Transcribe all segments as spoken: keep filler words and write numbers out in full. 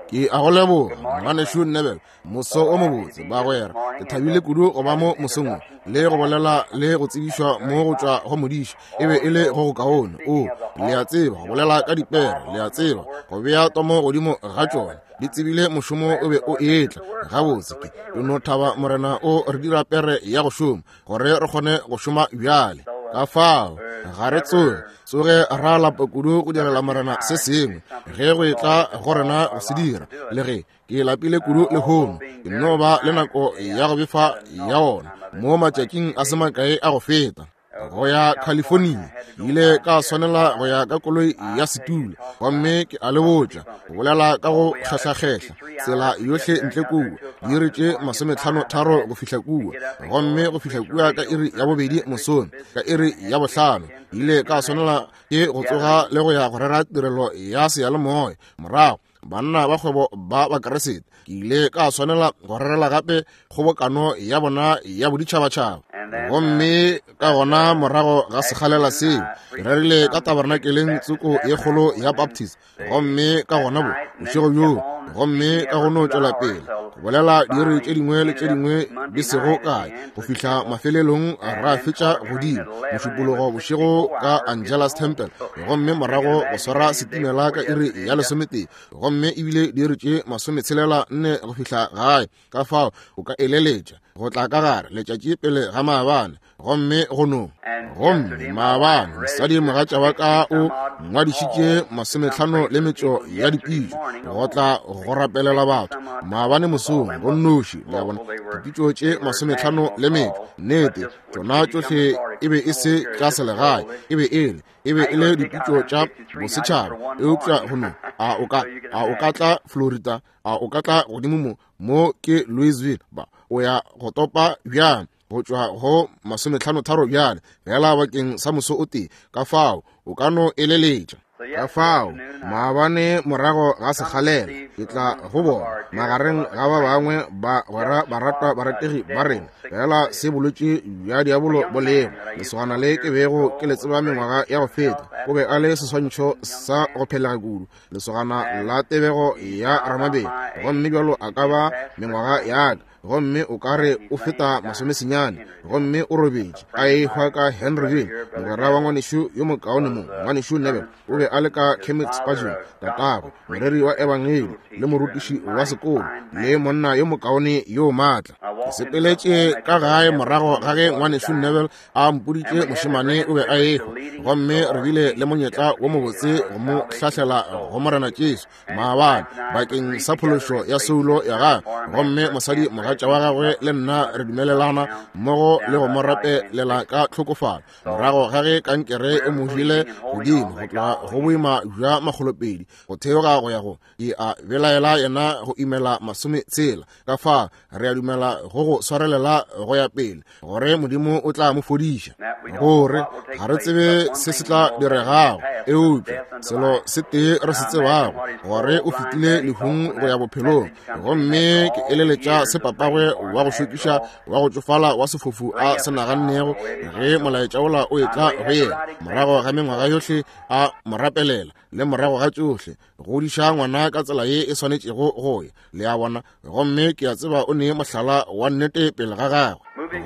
Ke a go leboga, ngwanešu Neville, moso o mobotse, bagwera. Ke thabile kudu go ba mo mosong wo, le go bolela le go tsebišwa mo go tšwa go modiši. E be e le go go kaone. O, le a tseba, go bolela ka dipere, le a tseba, go bea tomo godimo ga tšona. Di tsebile mošomo o be o etla. Gabotse ke, ke no thaba Morena o re dira pere ya go šoma, gore re kgone go šoma bjale. Ka fao, ga re tsoge, tsoge ra lapa kudu go direla Morena se sengwe, ge go etla go rena go se dira. Le ge ke lapile kudu lehono, ke no ba le nako ya go befa ya ona mo matšatšing a se makae a go feta. Go ya California, ke ile ka swanela go ya ka koloi ya setulo, gomme ke a le botša, go bolela ka go kgehlakgehla tsela yohle ntle kua, diiri tše masometlhano tharo go fihla kua, gomme go fihla kua ka iri ya bobedi mosong, ka iri ya bohlano, ke ile ka swanela ke go tsoga le go ya go rera tirelo ya seyalemoya. Morago banna ba kgwebo ba Bakeresete, ke ile ka swanela go rerela gape kgobokano ya bona ya boditšhabatšhaba. Gomme ka gona morago ga sekgalela seo, ke rerile ka tabernakeleng tsoko ye kgolo ya Baptist, gomme ka gona bo bošego bjoo, gomme ka go no tšwela pele go bolela diiri tše dingwe le tše dingwe di sego kae go fihla mafelelong ra fetša godimo mošupologo bošego ka Angelus Temple, gomme morago go swara setimela ka iri ya lesometee, gomme ebile diiri tše masometshelela nne go fihla gae. Ka fao o ka eleletša go tla ka gare letšatši pele ga maabane, gomme go no. Gomme maabane mosadi mogatša wa ka o ngwadišitše masometlhano le metšo ya dipitšo go tla go rapelela batho maabane mosong go nnoši. Le a bona, dipitšo tše masometlhano le metšo, nnete tšona tšohle e be e se tša selegae, e be e le e be e le dipitšo tša bosetšhaba. Eupša go no, a o ka, a o ka tla Florida, a o ka tla godimo mo, mo ke Louisville, ba o ya go topa bjang go tšwa go masometlhano tharo bjale fela bakeng sa moso o tee. Ka fao o ka no eleletša. Ka fao maabane morago ga sekgalela ke tla go bona magareng ga ba bangwe ba gwera baratwa barategi ba rena, fela se bolwetši bja diabolo bo lego. Lesogana le ke bego ke le tseba mengwaga ya go feta, o be a le seswantšho sa go phelega kudu, lesogana la tebego ya Ramabele, gomme bjalo a ka ba mengwaga ya ka, gomme o ka re o feta masomesenyane, gomme o robetše a ehwa ka Henryville. Mogwera wa ngwanešu yo mokaone mo, ngwanešu Neville, o be a le ka Kermit Spurgeon, tatagwe, moreri wa ebangedi le morutiši wa sekolo, le monna yo mokaone yo maatla. Ke sepeletše ka gae morago ga ge ngwanešu Neville a mpoditše mošemane o be a ehwa, gomme re bile le monyetla wo mobotse go mo hlahlela go Morena Jesu maabane bakeng sa phološo ya soulo ya gagwe. Gomme mosadi mogatša wa gagwe le nna re dumelelana mmogo le go mo rapelela ka tlhokofalo morago ga ge kankere e mo jele godimo go tloga go boima bja makgolopedi go theoga go ya go ke a belaela yena go imela masometshela. Ka fa re a dumela go go swarelela go ya pele gore Modimo o tla mo fodiša, gore ga re tsebe se se tla diregago, eupša selo se tee re se tsebago, gore o fetile lehung go ya bophelong. Gomme ke eleletša se papagwe wa go šokiša wa go tšofala wa sefofu a se nagannego ge molaetša wola o etla go yena morago ga mengwaga yohle a mo rapelela, le morago ga tšohle godiša ngwana ka tsela ye e swanetšego go ya. Le a bona, gomme ke a tseba o ne mohlala wa nnete pele ga gagwe.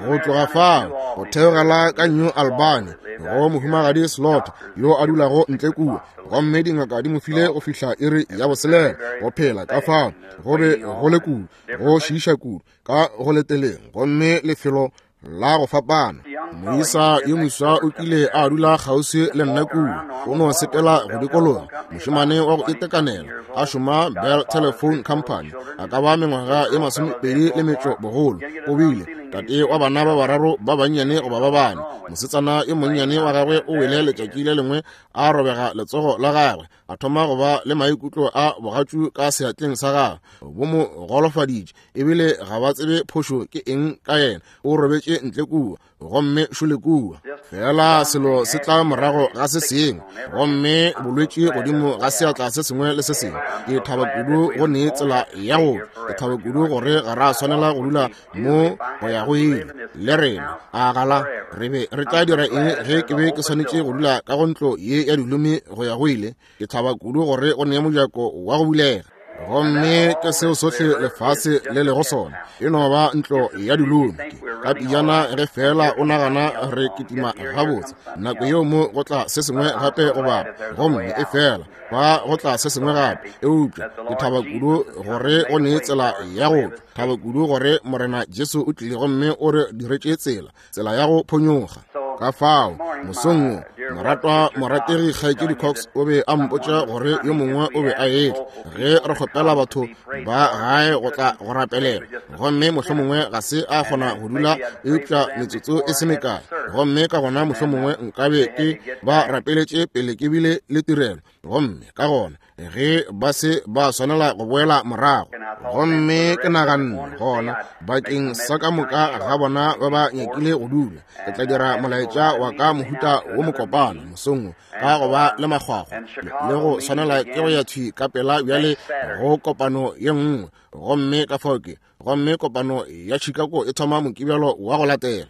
Go tloga fao go theogela ka New Albany go mohumagadi Slaughter yo a dulago ntle kua, gomme dingaka di mo file go fihla iri ya boselela go phela. Ka fao go be go le kudu, go šiiša kudu ka go leteleng, gomme lefelo la go fapana. Moisa yo moswa o kile a dula kgauswi le nna kua, o no sepela go dikologa, mošemane wa go itekanela, a šoma Bell Telephone Company, a ka ba mengwaga e masomepedi le metšo bogolo. O bile tate wa bana ba bararo ba bannyane goba ba bane. Mosetsana yo monnyane wa gagwe o wele letšatši le lengwe a robega letsogo la gagwe, a thoma go ba le maikutlo a bogatšu ka seatleng sa gagwe, bo mo golofaditše, ebile ga ba tsebe phošo ke eng ka yena. O robetše ntle kua, gomme šole kua. Fela selo se tla morago ga se sengwe, gomme bolwetši godimo ga seatla se sengwe le se sengwe. Ke thaba kudu go ne tsela ya go, ke thaba kudu gore ga ra swanela go dula mo go ya go ile le rena. A gala re be re tla dira eng ge ke be ke swanetše go dula ka go ntlo ye ya dilomi go ya go ile? Ke thaba kudu gore go ne mojako wa go bulega. Gomme ke seo sohle lefase le lego sona, e no ba ntlo ya dilomi. Ka pejana ge fela o nagana re kitima gabotse, nako yeo mo go tla se sengwe gape go bapa, gomme e fela ba go tla se sengwe gape. Eupša ke thaba kudu gore go ne tsela ya go tšwa, thaba kudu gore Morena Jesu o tlile gomme o re diretše tsela, tsela ya go phonyokga. Ka fao mosong wo, moratwa morategi Kgaetšedi Cox o be a mpotša gore yo mongwe o be a etla ge re kgopela batho ba gae go tla go rapelela, gomme mohlomongwe ga se a kgona go dula eupša metsotso e se mekae, gomme ka gona mohlomongwe nkabe ke ba rapeletše pele ke bile le tirelo, gomme ka gona ge ba se ba swanela go boela morago. Gomme ke naganne gona bakeng sa ka moka ga bona ba ba nyakile go dula, ke tla dira molaetša wa ka mohuta wo mokopana mosong wo, ka go ba le makgwakgwa le go swanela ke go ya thwi ka pela bjale go kopano ye nngwe. Gomme ka fao ke gomme kopano ya Chicago e thoma Mokibelo wa go latela.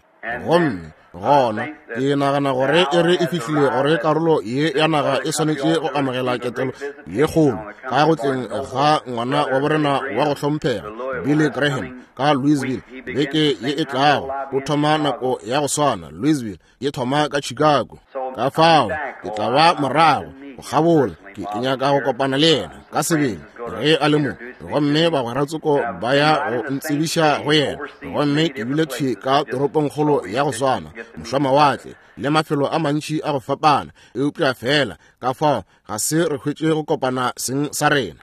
Gomme gona ke nagana gore e re e fihlile gore karolo ye ya naga e swanetše go amogela ketelo ye kgolo ka go tleng ga ngwana wa borena wa go hlomphega Billy Graham ka Louisville beke ye e tlago. O thoma nako ya go swana Louisville ye thoma ka Chicago. Ka fao ke tla ba morago go kgabola, ke ke nyaka go kopana le yena ka sebele ge a le mo, gomme bagweratsoko ba ya go ntsebiša go yena. Gomme ke bile thwi ka toropongkgolo ya go swana, mošwamawatle le mafelo a mantši a go fapana, eupša fela ka fao ga se re hwetše go kopana seng sa rena.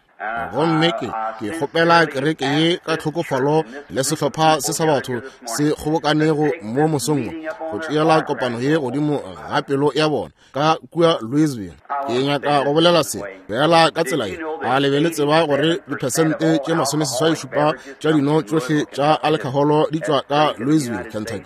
Gomme ke ke kgopela kereke ye ka tlhokofalo le sehlopha se sa batho se kgobokanego mo mosong wo go tšeela kopano ye godimo ga pelo ya bona ka kua Louisville. Ke nyaka go bolela se fela ka tsela ye, a le be le tseba gore diphesente tše masomeseswai šupa tša dino tšohle tša alcoholo di tšwa ka Louisville, Kentucky,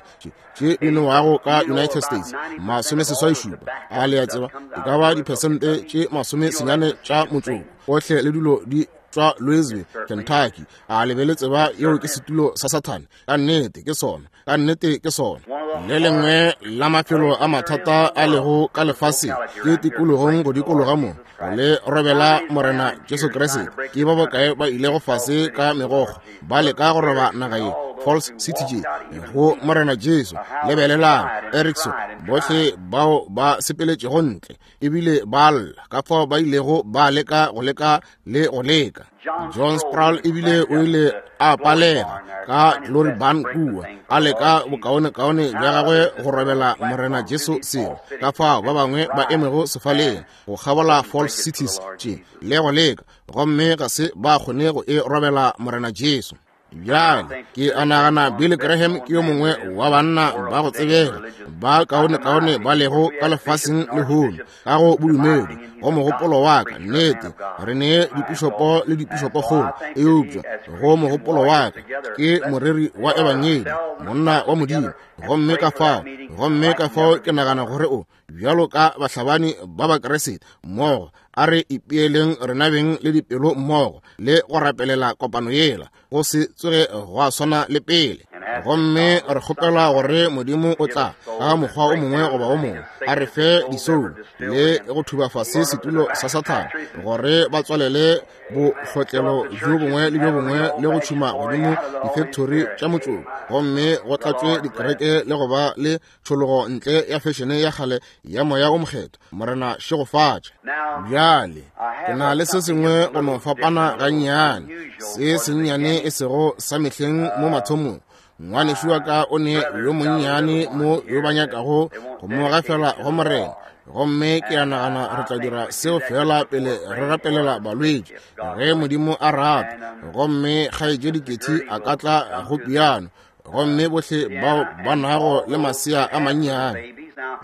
tše di nowago ka United States, masomeseswai šupa. A le a tseba e ka ba diphesente tše masomesenyane tša motšoko ohle le dilo di tšwa Louisville, Kentucky. A le be le tseba yeo ke setulo sa Sathane? Ka nnete ke sona, ka nnete ke sona. Le lengwe la mafelo a mathata a lego ka lefaseng ke tikologong go dikologa mo le robela Morena Jesu Kriste. Ke ba bokae ba ilego fase ka megokgo ba leka go roba naga ye, Falls City tše go Morena Jesu. Lebelelang Erickson, bohle bao ba sepeletšego ntle ebile ba lla ka fao ba ilego ba leka go leka le go leka. John Sproul ebile o ile a palega ka Glory Barn kua, a leka bokaonekaone bja gagwe go robela Morena Jesu selo. Ka fao ba bangwe ba emego sefaleng go kgabola Falls Cities tše le go leka, gomme ga se ba kgone go e robela Morena Jesu. Bjale ke a nagana Billy Graham ke yo mongwe wa banna ba go tsebega ba kaonekaone ba lego ka lefaseng lehono ka go bodumedi. Go mogopolo wa ka, nnete re ne dipišopo le dipišopokgolo, eupša go mogopolo wa ka ke moreri wa ebangedi, monna wa Modimo. Gomme ka fao gomme ka fao ke nagana gore o bjalo ka bahlabani ba Bakriste mmogo, a re ipeeleng rena beng le dipelo mmogo le go rapelela kopano yela go se tsoge gwa swana le pele. Gomme re kgopela gore Modimo o tla ka mokgwa o mongwe goba o mongwe a re fe disoulo le go thuba fase setulo sa Sathane, gore ba tswalele bohlotlelo bjo bongwe le bjo bongwe le go tšhuma godimo difektori tša motšoko, gomme go tlatšwe dikereke le go ba le tšhologo ntle ya fešene ya kgale ya moya o mokgethwa. Morena šegofatše. Bjale ke na le se sengwe go no fapana gannyane, se sennyane e sego sa mehleng mo mathomong. Ngwanešu wa ka o ne yo monnyane mo yo ba nyakago go mo gafela go Morena, gomme ke a nagana re tla dira seo fela pele re rapelela balwetši ge Modimo a rata. Gomme Kgaetšedi Kethi a ka tla go piano, gomme bohle bao ba nago le masea a mannyane.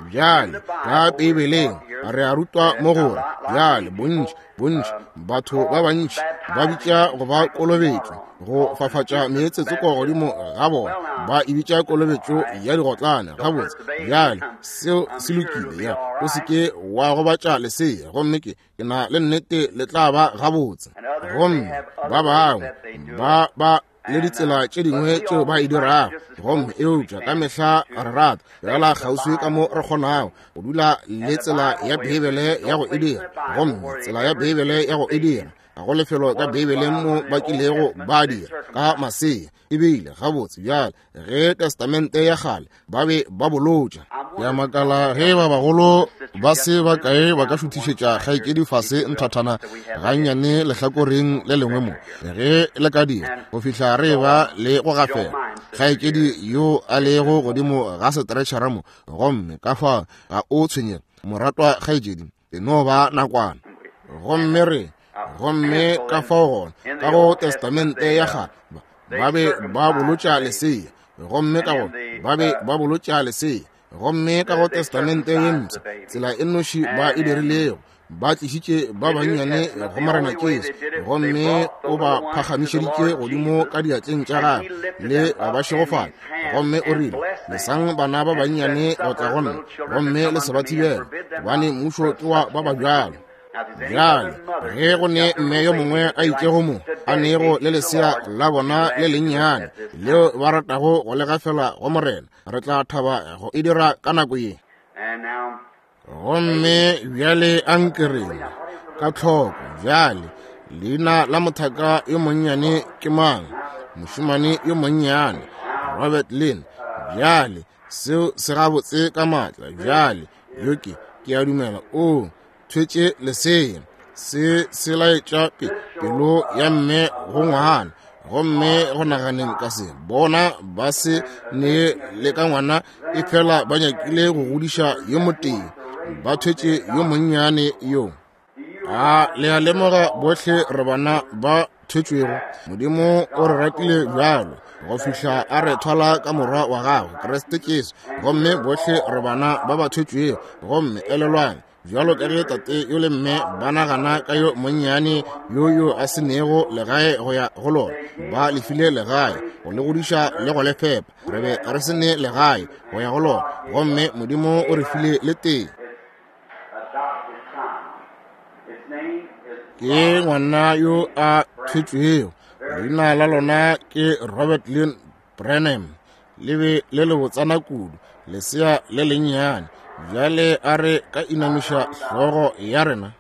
Bjale ka Beibeleng re a rutwa mo gore bjale bontši bontši batho ba bantši ba bitša go ba kolobetšo, go fafatša meetsetsoko godimo ga bona, ba e bitša kolobetšo ya digotlane. Gabotse bjale seo se lokile, ya o se ke wa gobatša lesea, gomme ke ke na le nnete le tla ba gabotse. Gomme ba bangwe ba ba le ditsela tše dingwe tšeo ba e dirago, gomme eupša ka mehla re rata fela kgauswi ka mo re kgonago go dula le tsela ya Beibele ya go e dira. Gomme tsela ya Beibele ya go e dira Ga go lefelo ka Beibeleng mo ba kilego ba dira ka masea. Ebile gabotse bjale ge Testamente ya kgale ba be ba bolotša. Ke a makala ge ba bagolo ba se ba kae ba ka šuthišetša kgaetšedi fase nthathana gannyane lehlakoreng le lengwe mo, ge le ka dira go fihla re ba le go gafela kgaetšedi yo a lego godimo ga setretšhara mo. Gomme ka fao ga o tshwenyege moratwa kgaetšedi, e no ba nakwana. Gomme re gomme ka fao gona ka go Testamente ya kgale ba be ba bolotša lesea, gomme ka go ba be ba bolotša lesea, gomme ka go Testamente ye mpsha tsela e nnoši ba e dirilego, ba tlišitše ba bannyane go Morena Jesu, gomme o ba phagamišeditše godimo ka diatleng tša gagwe le go ba šegofatša. Gomme o rile, lesang bana ba bannyane go tla go nna, gomme le se ba thibele, gobane mmušo ke wa ba ba bjalo. Bjale ge go ne mme yo mongwe a itšego mo a nego le lesea la bona le lennyane leo ba ratago go le gafela go Morena, re tla thaba go e dira ka nako ye. Gomme bjale a nkereng ka tlhoko. Bjale leina la mothaka yo monnyane ke mang? Mošemane yo monnyane Robert Lynn. Bjale seo se gabotse ka maatla. Bjale yo ke ke a dumela o thwetše lesea. Se se laetša pelo ya mme go ngwana. Gomme go naganeng ka se, bona ba se ne le ka ngwana, e fela ba nyakile go godiša yo motee, ba thwetše yo monnyane yo. A le a lemoga bohle re bana ba thwetšwego? Modimo o re ratile bjalo go fihla a re thwala ka morwa wa gagwe Kriste Jesu, gomme bohle re bana ba ba thwetšwego. Gomme elelwang, bjalo ka ge tate yo le mme ba nagana ka yo monnyane yo yo a se nego legae go ya go lona, ba lefile legae go le godiša le go le fepa. Re be re se ne legae go ya go lona, gomme Modimo o re file le tee. Ke ngwana yo a thwetšwego, leina la lona ke Robert Lynn Branham. Le be le le botsana kudu, lesea le lennyane. Bjale a re ka inamiša hlogo ya rena.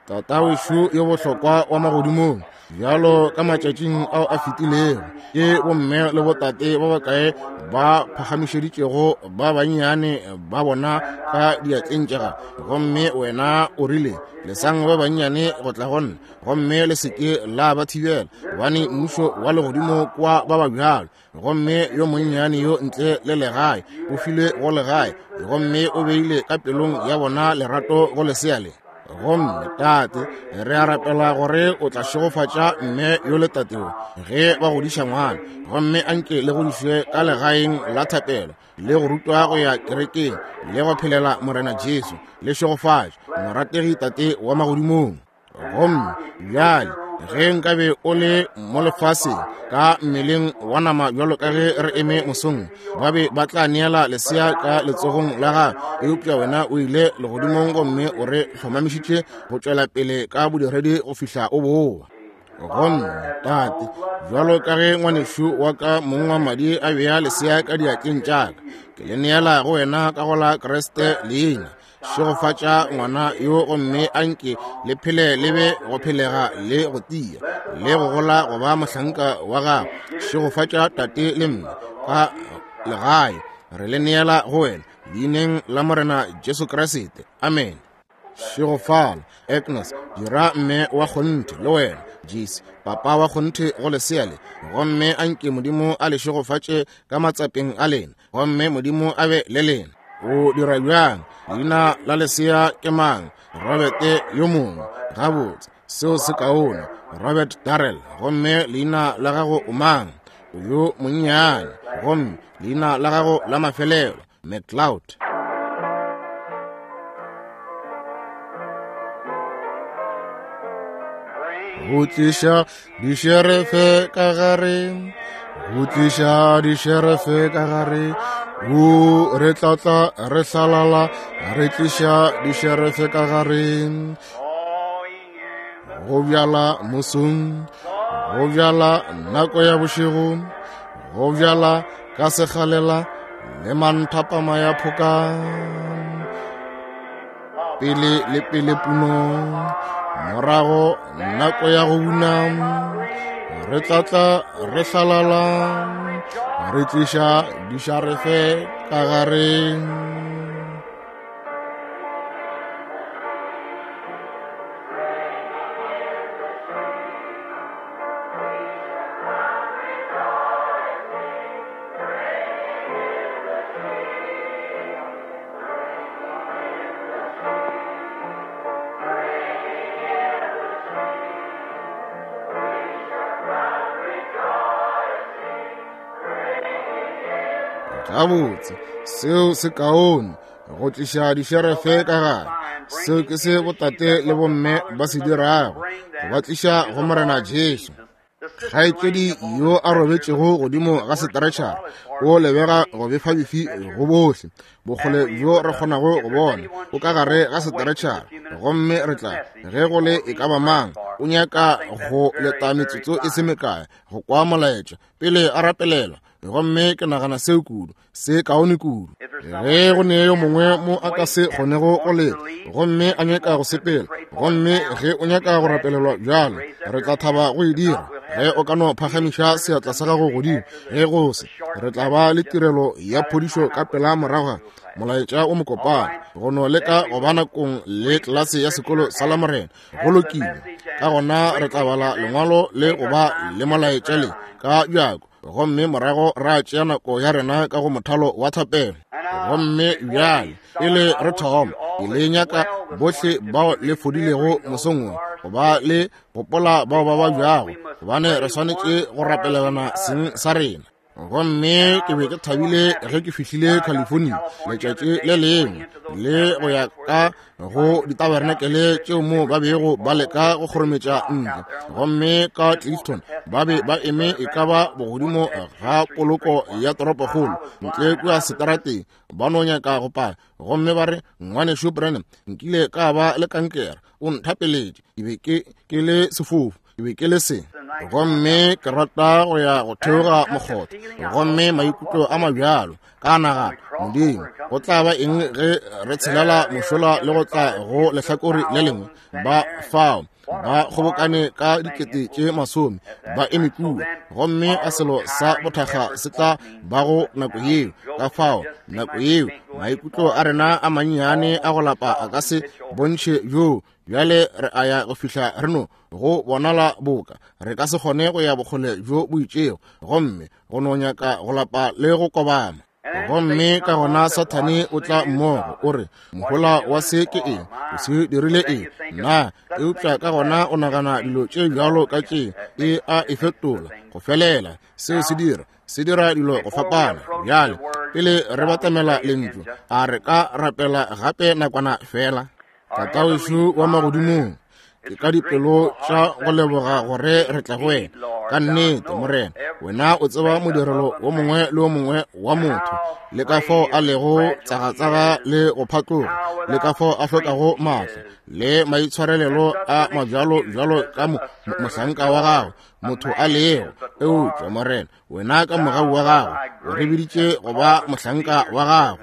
Tata wešo yo bohlokwa wa magodimong, bjalo ka matšatšing ao a fetilego, ke bomme le botate ba bakae ba phagamišeditšego ba bannyane ba bona ka diatleng tša gago. Gomme wena o rile, lesang ba bannyane go tla go nna, gomme le se ke la ba thibela, gobane mmušo wa legodimo kwa ba ba bjalo. Gomme yo monnyane yo ntle le legae o filwe go legae, gomme o beile ka pelong ya bona lerato go lesea le. Gomme tate, re a rapela gore o tla šegofatša mme yo le tateo ge ba godiša ngwana, gomme anke le godišwe ka legaeng la thapelo le go rutwa go ya kerekeng le go phelela Morena Jesu. Le šegofatše morategi tate wa magodimong. Gomme bjale ge nkabe o le mo lefaseng ka mmeleng wa nama bjalo ka ge re eme mosong, ba be ba tla neela lesea ka letsogong la gago, eupša wena o ile legodimong gomme o re hlomamišitše go tšwela pele ka bodiredi go fihla o boa. Gomme tate, bjalo ka ge ngwanešu wa ka mong wa madi a bea lesea ka diatleng tša ka, ke le neela go wena ka go la Kriste leina. Šegofatša ngwana yo, gomme anke le phele le be go phelega le go tia le go gola go ba mohlanka wa gago. Šegofatša tate le mme ka legae, re le neela go wena leineng la Morena Jesu Kriste. Amen. Šegofala Agnes, dira mme wa kgonthe le wena Jesu, papa wa kgonthe go lesea le, gomme anke Modimo a le šegofatše ka matsapeng a lena, gomme Modimo a be le lena. O dira bjang? Leina la lesea ke mang? Robert yo mongwe. Gabotse, seo se kaone. Robert Darrell. Gomme leina la gago o mang? O yo monnyane. Gomme leina la gago la mafelelo? McLeod. Go tliša dišerefe ka gare, go tliša dišerefe ka gare, o re tlatla re hlalala, re tliša dišerefe ka gare. Go bjala mosong, go bjala nako ya bošego, go bjala ka sekgalela le manthapama ya phoka. Pele le pele puno, Morago nako ya go buna, re tla tla re hlalala, re tliša dišarefe ka gare. Gabotse, seo se kaone go tliša dišerefe ka gare. Seo ke se botate le bomme ba se dirago, go ba tliša go Morena Jesu. Kgaetšedi yo a robetšego godimo ga setretšhara o lebega go befabefi go bohle bokgole bjo re kgonago go bona o ka gare ga setretšhara, gomme re tla ge go le e ka ba mang o nyaka go leta metsotso e se mekae go kwa molaetša pele a rapelelwa. Gomme ke nagana seo kudu, se kaone kudu. Ge go ne yo mongwe mo a ka se kgonego go leta gomme a nyaka go sepela, gomme ge o nyaka go rapelelwa bjalo, re tla thaba go e dira. Ge o ka no phagamiša seatla sa gago godimo, ge go se, re tla ba le tirelo ya phodišo ka pela morago molaetša o mokopana, go no leka go ba nakong le tlelase ya sekolo sa Lamorena. Go lokile, ka gona re tla bala lengwalo le go ba le molaetša le ka bjako, gomme morago ra tšea nako ya rena ka go mothalo wa thapelo. Gomme bjale pele re thoma, ke le nyaka bohle bao le fodilego mosong wo go ba le gopola bao ba babjago, gobane re swanetše go rapelelana seng sa rena. Gomme ke be ke thabile ge ke fihlile California letšatši le lengwe le go ya ka go ditabernakele tšeo mo ba bego ba leka go kgorometša ntle. Gomme ka Clifton ba be ba eme e ka ba bogodimo ga poloko ya toropokgolo ntle kua seterateng, ba no nyaka go paka. Gomme ba re, ngwanešu Branham, nkile ka ba le kankere, o nthapeletše, ke be ke ke le sefofu, ke be ke le se. Gomme ke rata go ya go theoga mokgotha, gomme maikutlo a mabjalo ka nagana, Modimo, go tla ba eng ge re tshelela mošola le go tla go lehlakore le lengwe? Ba fao ba kgobokane ka dikete tše masome ba eme kua, gomme a selo sa bothakga se tla bago nako yeo. Ka fao nako yeo maikutlo a rena a mannyane a go lapa a ka se bontšhe bjoo. Bjale re a ya go fihla re no go bonala boka re ka se kgone go ya bokgole bjo bo itšego, gomme go no nyaka go lapa le go kobama. Gomme ka gona Sathane o tla mmogo o re, mohola wa se ke eng? O se dirile eng? Na eupša ka gona o nagana dilo tše bjalo ka tše e a e fetola go felela. Seo se dira se dira dilo go fapana. Bjale pele re batamela lentšu, a re ka rapela gape nakwana fela. Tatawešu wa magodimong, ke ka dipelo tša go leboga gore re tla go wena. Ka nnete Morena, wena o tseba modirelo wo mongwe le wo mongwe wa motho, le ka fao a lego tsagatsaga le go phatloga, le ka fao a hlokago maatla le maitshwarelelo a mabjalo bjalo ka mohlanka wa gago motho a lego. Eupša Morena, wena ka mogau wa gago o re biditše go ba mohlanka wa gago.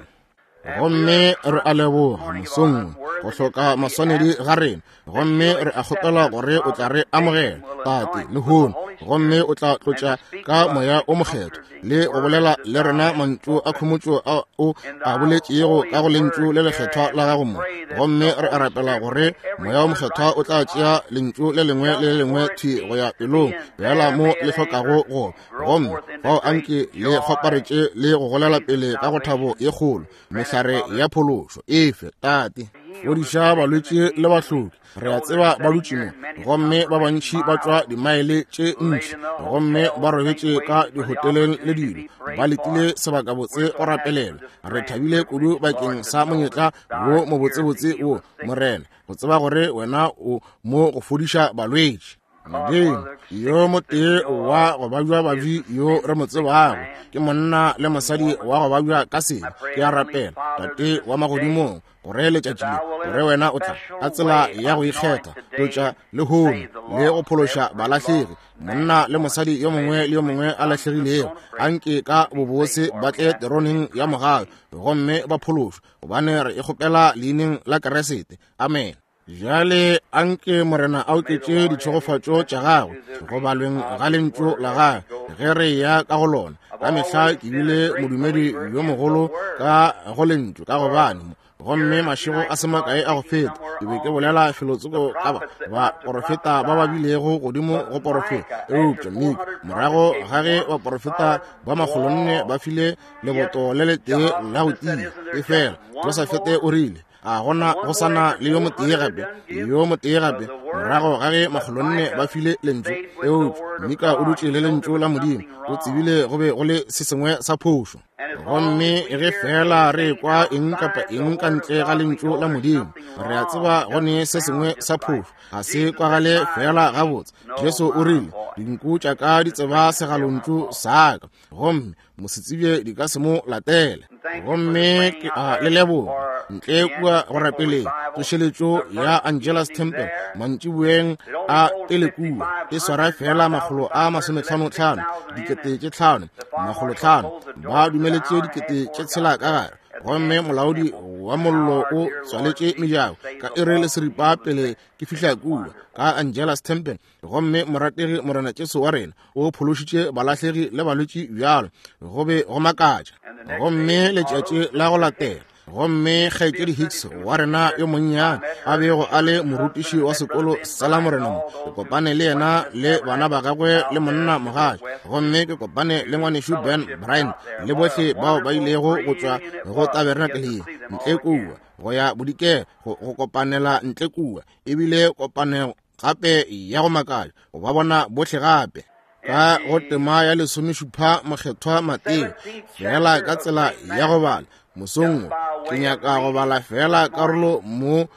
Gomme re a leboga mosong go hloka maswanedi ga rena, gomme re a kgopela gore o tla re amogela Tate lehono, gomme o tla tlotša ka moya o mokgethwa le go bolela le rena mantšu a khomotšo a o a boletšego ka go lentšu le lekgethwa la gago mo. Gomme re a rapela gore moya o mokgethwa o tla tšea lentšu le lengwe le le lengwe thwi go ya pelong bjala mo le hlokago go, gomme fao anke le kgoparetše le go golela pele ka go thabo ye kgolo mehlare ya phološo efe. Tate, fodiša balwetši le bahloki. Re a tseba ba dutše mo, gomme ba bantši ba tšwa dimaele tše ntši, gomme ba robetše ka dihoteleng le dilo, ba letile sebakabotse go rapelelwa. Re thabile kudu bakeng sa monyetla wo mobotsebotse wo, Morena, go tseba gore wena o mo go fodiša balwetši. Modimo, yo motee wa go babja babji yo re mo tsebago ke monna le mosadi wa go babja ka sebe. Ke a rapela, Tate wa magodimong, gore letšatši le gore wena o tla ka tsela ya go ikgetha tlotša lehono le go phološa balahlegi, monna le mosadi yo mongwe le yo mongwe a lahlegilego, anke ka bobose ba tle teroneng ya mogau gomme ba phološwe, gobane re e kgopela leineng la Keresete. Amen. Bjale anke Morena a oketše ditšhegofatšo tša gagwe go balweng ga lentšu la gagwe ge re ya ka go lona. Ka mehla ke bile modumedi yo mogolo ka go lentšu, ka gobane gomme mašego a se makae a go feta ke be ke bolela felotsoko ka baporofeta ba ba bilego godimo go porofeta. Eupša Mika, morago ga ge baporofeta ba makgolonne ba file leboto le letee la go tia, efela Josafete o rile, a gona go sana le yo motee gape, yo motee gape, morago ga ge makgolonne ba file lentšu. Eupša Mika o dutše le lentšu la Modimo, o tsebile go be go le se sengwe sa phošo. Gomme ge fela re kwa eng kapa eng ka ntle ga lentšu la Modimo, re a tseba go ne se sengwe sa phošo, ga se kwagale fela gabotse. Jesu o rile, dinku tša ka di tseba segalontšu sa ka, gomme mosetsebje di ka se mo latele. Gomme ke a le leboga ntle kua go rapeleng tsošeletšo ya Angela's Temple mantšiboeng a pele kua, e swara fela makgolo a masometlhanotlhano, dikete tše tlhano, makgolotlhano, ba dumeletše dikete tše tshela ka gare. Gomme molaodi wa mollo o tswaletše mejako ka iri le seripa pele ke fihla kua ka Angela's Temple. Gomme morategi Morena Jesu wa rena o phološitše balahlegi le balwetši bjalo, go be go makatša. Gomme letšatši la go latela, gomme kgaetšedi Hicks wa rena yo monnyane a bego a le morutiši wa sekolo sa la Morena mo, ke kopane le yena le bana ba gagwe le monna mogatša. Gomme ke kopane le ngwanešu Ben Bryant le bohle bao ba ilego go tšwa go tabernakeleng ntle kua go ya bodikela go, go kopanela ntle kua. Ebile kopanelo gape ya go makatša go ba bona bohle gape ka go tema ya lesomešupa mokgethwa Mateo, fela ka tsela ya go bala mosong wo ke nyaka go bala fela karolo mo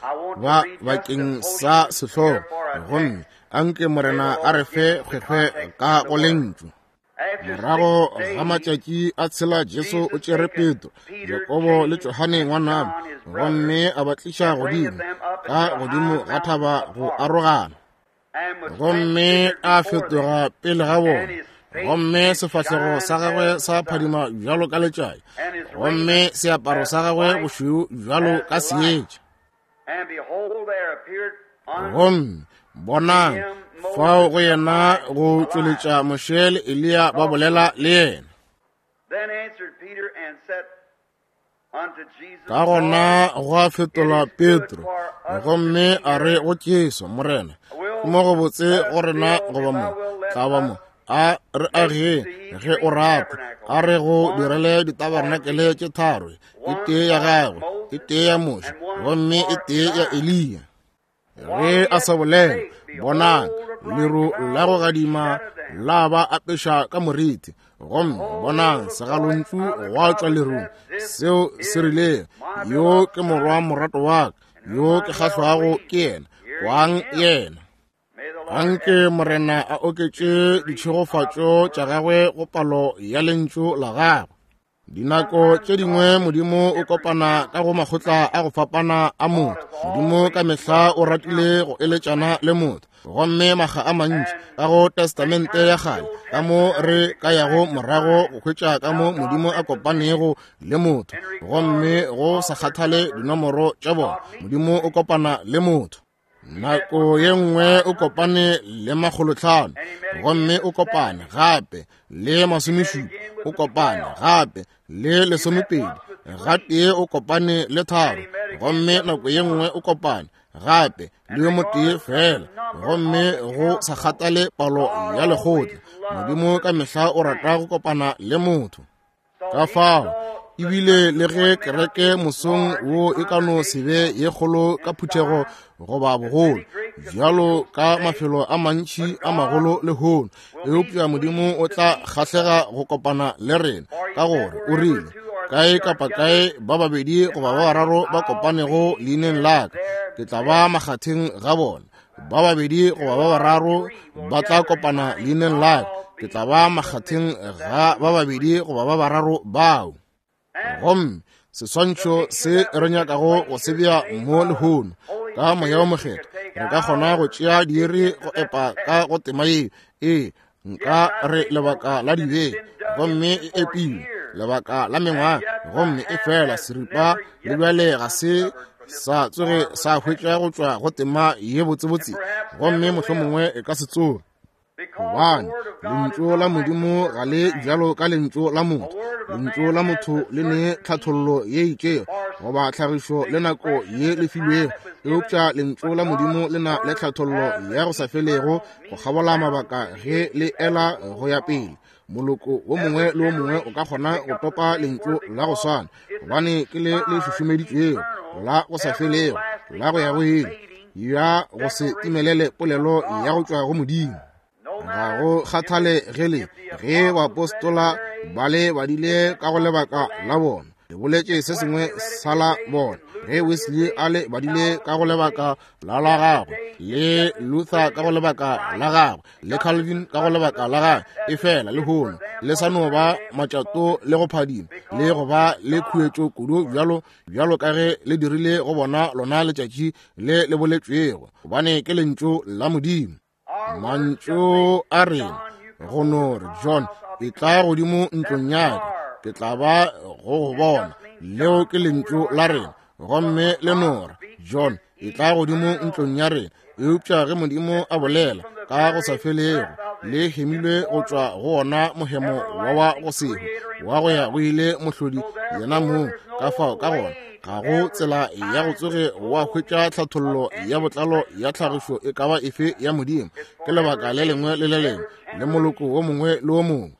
ba bakeng sa sehlogo, gomme anke Morena a re fe kgwekgwe ka go lentšu. Morago ga matšatši a tshela Jesu o tšere Petro, Jakobo le Johane ngwanabo, gomme a ba tliša godimo ka godimo ga thaba go arogana. Gomme a fetoga pele ga bona, gomme sefahlego sa gagwe sa phadima bjalo ka letšatši, gomme seaparo sa gagwe bošweu bjalo ka seetša. Gomme bonang, fao go yena go tšweletša Moshe le Eliya ba bolela le yena. Ka gona gwa fetola Petro, gomme a re go Jesu, Morena, ke mo go botse go rena goba mo, tla ba mo, a re age ge o rata, a re go direle ditabarnakele tše tharo, e tee ya gagwe, e tee ya Moshe, gomme e tee ya Eliya. Ge a sa bolela, bonang, leru la go gadima la ba apeša ka moriti, gomme bonang, segalontšu gwa tšwa lerung seo se rile, yo ke morwa morato wa ka, yo ke kgahlwago ke yena, kwang yena. Anke Morena a oketše ditšhegofatšo tša gagwe go palo ya lentšu la gagwe. Dinako tše dingwe Modimo o kopana ka go makgotla a go fapana a motho. Modimo ka mehla o ratile go eletšana le motho, gomme makga a mantši ka go Testamente ya kgale ka mo re ka yago morago go hwetša ka mo Modimo a kopanego le motho, gomme go sa kgathale dinomoro tša bona, Modimo o kopana le motho. Nako ye nngwe o kopane le makgolotlhano, gomme o kopane gape le masomešupa, o kopane gape le lesomepedi, gatee o kopane le tharo, gomme nako ye nngwe o kopane gape le yo motee fela, gomme go sa kgathale palo ya lekgotla, Modimo ka mehla o rata go kopana le motho. Ka fao ebile le ge kereke mosong wo e ka no se be ye kgolo ka phuthego goba bogolo bjalo ka mafelo a mantši a magolo lehono, eupša Modimo o tla kgahlega go kopana le rena, ka gore o rile, kae kapa kae ba babedi goba ba bararo ba kopanego leineng la ka, ke tla ba makgatheng ga bona. Ba babedi goba ba bararo ba tla kopana leineng la ka, ke tla ba makgatheng ga ba babedi goba ba bararo bao. Gomme seswantšho se re nyakago go se bea mo lehono ka Moya wo Mokgethwa, re ka kgona go tšea diiri go epa ka go tema yeo. Ee, nka re lebaka la dibeke, gomme e epilwe lebaka la mengwaga, gomme e fela seripa le bjale ga se sa tsoge sa hwetša go tšwa go tema ye botsebotse, gomme mohlomongwe e ka se tsoge. Gobane lentšu la Modimo ga le bjalo ka lentšu la motho. Lentšu la motho le ne tlhathollo ye itšego goba tlhagišo le nako ye le filwego, eupša lentšu la Modimo le na le tlhathollo ya go sa felego go kgabola mabaka ge le ela go ya pele. Moloko wo mongwe le wo mongwe o ka kgona go topa lentšu la go swana, gobane ke le le šušumeditšwego la go sa felego la go ya go ile, ya go se timelele polelo ya go tšwa go Modimo. Ga go kgathale ge le ge baapostola ba le badile ka go lebaka la bona, le boletše se sengwe sa la bona. Ge Wesley a le badile ka go lebaka la la gagwe, le Luther ka go lebaka la gagwe, le Calvin ka go lebaka la gagwe, efela lehono le sa no ba matšato le go phadima le go ba le khuetšo kudu bjalo bjalo ka ge le dirile go bona lona letšatši le le boletšwego, gobane ke lentšu la Modimo. Mantšu a rena go no re, John, e tla godimo ntlong ya ka, ke tla ba go go bona. Leo ke lentšu la rena, gomme le no re, John, e tla godimo ntlong ya rena. Eupša ge Modimo a bolela ka go sa felego, le hemilwe go tšwa go ona mohemo wa wa go sehwe wa go ya go ile mohlodi yena mong. Ka fao ka gona ga go tsela ya go tsoge wa hwetša tlhathollo ya botlalo ya tlhagišo e ka ba efe ya Modimo. Ke lebaka le lengwe le le lengwe le moloko wo mongwe le wo mongwe.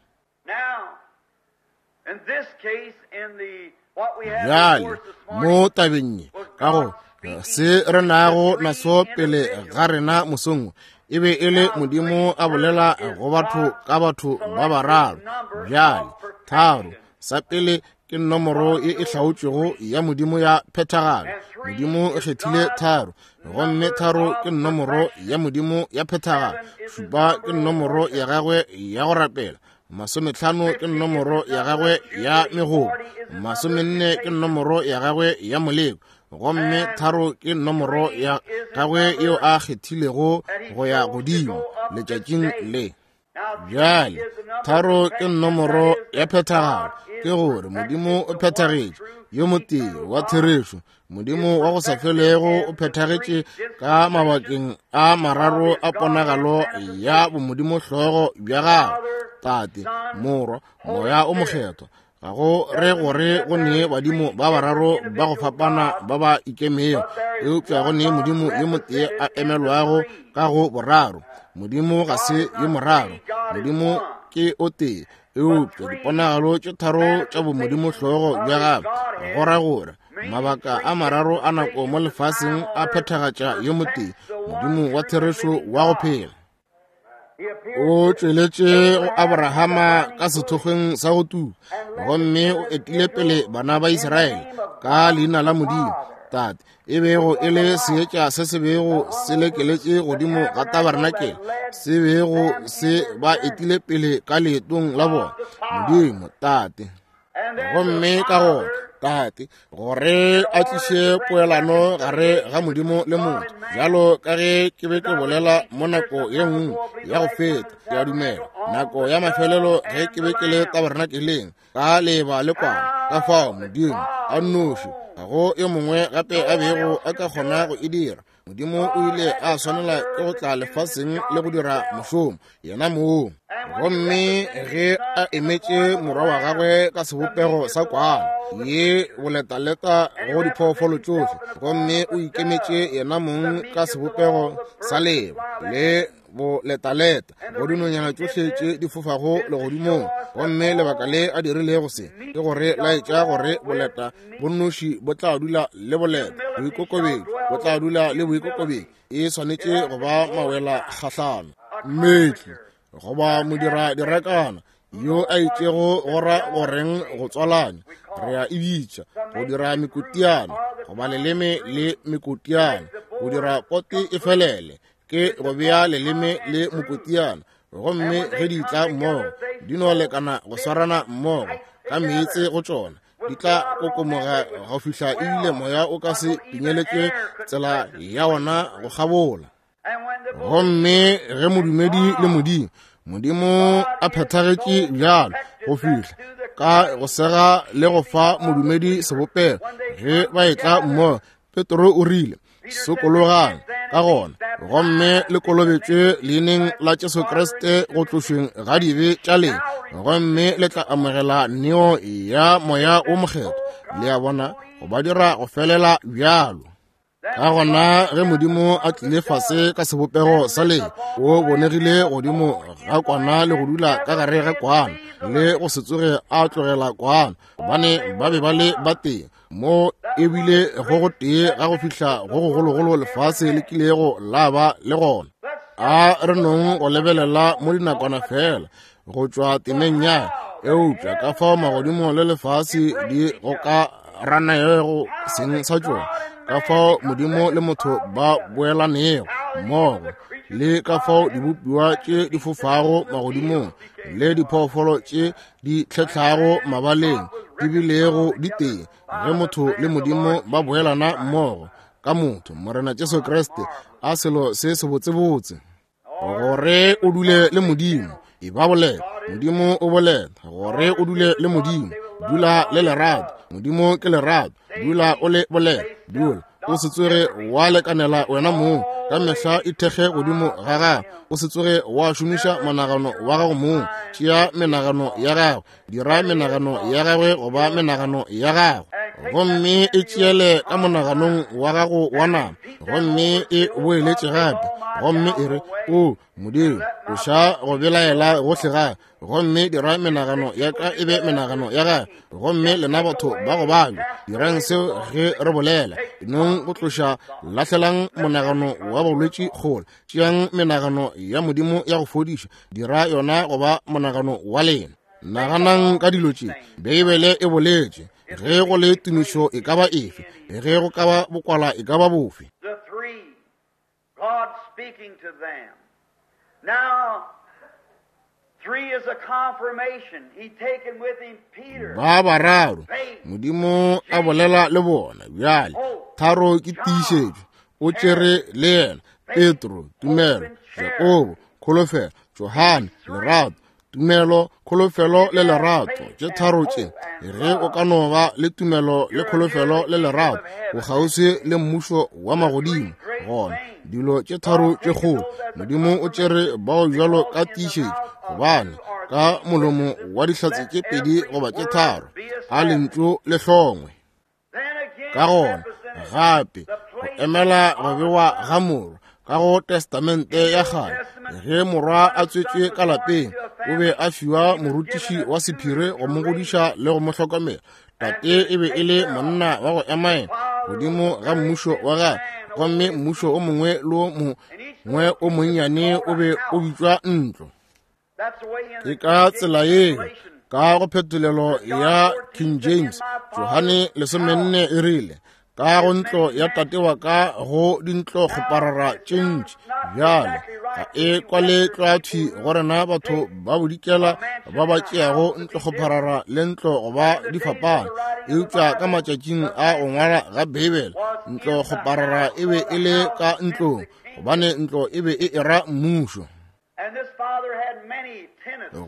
Bjale mo tabeng ye, ka go se re nago naso pele ga rena mosong, e be e le Modimo a bolela go batho ka batho ba bararo. Bjale tharo, sa pele ke nomoro ye e hlaotšwego ya Modimo ya phethagalo. Modimo o kgethile tharo, gomme tharo ke nomoro ya Modimo ya phethagalo. Šupa ke nomoro ya gagwe ya go rapela. Masometlhano ke nomoro ya gagwe ya megobo. Masomenne ke nomoro ya gagwe ya moleko. Gomme tharo ke nomoro ya gagwe yeo a kgethilego go ya godimo letšatšing le. Bjale tharo ke nomoro ya phethagalo, ke gore Modimo o phethagetše, yo motee wa therešo. Modimo wa go sa felego o phethagetše ka mabakeng a mararo a ponagalo ya bomodimo hlogo bja gagwe, Tate, Morwa, Moya o Mokgethwa. Ga go re gore go ne badimo ba bararo ba go fapana ba ba ikemego, eupša go ne Modimo yo motee a emelwago ka go boraro. Modimo ga se yo moraro, Modimo ke o tee, eupša diponagalo tše tharo tša bomodimo hlogo bja gagwe, go ra gore mabaka a mararo a nako mo lefaseng a phethagatša yo motee, Modimo wa therešo wa go phela. O tšweletše go Abrahama ka sethokgweng sa go tuka, gomme o etile pele bana ba Israele ka leina la Modimo Tate, e bego e le seetša se se bego se lekeletše godimo ga tabernakel, se bego se ba etile pele ka leetong la bona. Modimo Tate. Gomme ka gona Tate, gore a tliše poelano gare ga Modimo le motho, bjalo ka ge ke be ke bolela mo nako ye nngwe ya go feta, ke a dumela nako ya mafelelo ge ke be ke le tabernakeleng ka leba le kwana, ka fao Modimo a nnoši, ga go yo mongwe gape a bego a ka kgona go e dira. Modimo o ile a swanela ke go tla lefaseng le go dira mošomo yena mong. Gomme ge a emetše morwa wa gagwe ka sebopego sa kwana ye boletaleta go diphoofolo tšohle, gomme o ikemetše yena mong ka sebopego sa leba le boletaleta go dinonyana tšohle tše di fofago legodimong. Gomme lebaka le a dirilego se ke gore laetša gore boleta bonnoši bo tla dula le boleta, boikokobetšo bo tla dula le boikokobetšo. E swanetše go ba mawela kgahlano. Mmetli goba modira direkana yo a itšego go ra goreng go tswalanya, re a e bitša go dira mekotiana goba leleme le mekotiana, go dira pote e felele ke go bea leleme le mokotiana. Gomme ge di tla mmogo di no lekana go swarana mmogo ka meetse go tšona, di tla kokomoga go fihla ebile moya o ka se pinyeletše tsela ya ona go kgabola. Gomme ge modumedi le Modimo, Modimo a phethagetše bjalo go fihla ka go sega le go fa modumedi sebopego, ge ba etla mmogo Petro o rile, sokologang ka gona, gomme le kolobetšwe leineng la Jesu Kriste go tlošweng ga dibe tša lena, gomme le tla amogela neo ya Moya o Mokgethwa. Le a bona, go ba dira go felela bjalo. Ka gona ge Modimo a tlile fase ka sebopego sa le, o bonegile godimo ga kwana le go dula ka gare ga kwana, le go se tsoge a tlogela kwana, gobane ba be ba le batee mo ebile go go tee ga go fihla go gogologolo lefase le kilego la ba le gona. A re nong go lebelela mo dinakwana fela go tšwa temeng ya, eupša ka fao magodimo le lefase di go ka ranaego seng sa tšona, ka fao Modimo le motho ba boelanego mmogo, le ka fao dibopiwa tše di fofago magodimong le diphoofolo tše di tlhetlhago mabaleng di bilego di tee ge motho le Modimo ba boelana mmogo ka motho Morena Jesu Kriste. A selo se sebotsebotse gore o dule le Modimo. E ba bolela, Modimo o bolela gore o dule le Modimo. Dula le lerato, Modimo ke lerato. Dula o le bolela, dula o se tsoge wa lekanela wena mong, ka mehla ithekge godimo ga gago, o se tsoge wa šomiša monagano wa gago mong. Tšea menagano ya gago, dira menagano ya gagwe goba menagano ya gago, gomme e tšeele ka monaganong wa gago wa nama, gomme e boeletše gape, gomme e re, o Modimo, tloša go belaela gohle ga, gomme dira menagano ya ka e be menagano ya gago. Gomme lena batho ba go babja, dirang seo ge re bolela. Nong go tloša, lahlelang monagano wa bolwetši kgole, tšeang menagano ya Modimo ya go fodiša, dira yona goba monagano wa lena. Naganang ka dilo tše Beibele e boletše, ge go le tumišo e ka ba efe, ge go ka ba bokwala e ka ba bofe. God speaking to them. Now, three is a confirmation. He taken with him Peter. Ba bararo, Modimo a bolela le bona. Bjale, tharo ke tiišetšo. O tšere le yena Petro, tumelo, Jakobo, kholofelo, Johane, lerato. Tumelo, kholofelo le lerato, tše tharo tše. Ge o ka no ba le tumelo le kholofelo le lerato, o kgauswi le mmušo wa magodimo. Gona dilo tše tharo tše kgolo Modimo o tšere bao bjalo ka tiišetšo, gobane ka molomo wa dihlatse tše pedi goba tše tharo a lentšu le hlongwe. Ka gona gape go emela go bewa ga morwa ka go Testamente ya kgale, ge morwa a tswetšwe ka lapeng, o be a fiwa morutiši wa sephiri go mo godiša le go mo hlokomela. Tate e be e le monna wa go emaema godimo ga mmušo wa gagwe, gomme mmušo o mongwe le o mongwe o monnyane o be o bitšwa ntlo. Ke ka tsela yeo ka go phetolelo ya King James, Johane lesomenne e rile, ka go ntlo ya tate wa ka go dintlo kgoparara tše ntši. Bjale ga e kwale tlwathwi go rena batho ba bodikela ba ba tšeago ntlo kgoparara le ntlo goba di fapana, eupša ka matšatšing a go ngwala ga Beibele, ntlo kgoparara e be e le ka ntlong, gobane ntlo e be e era mmušo.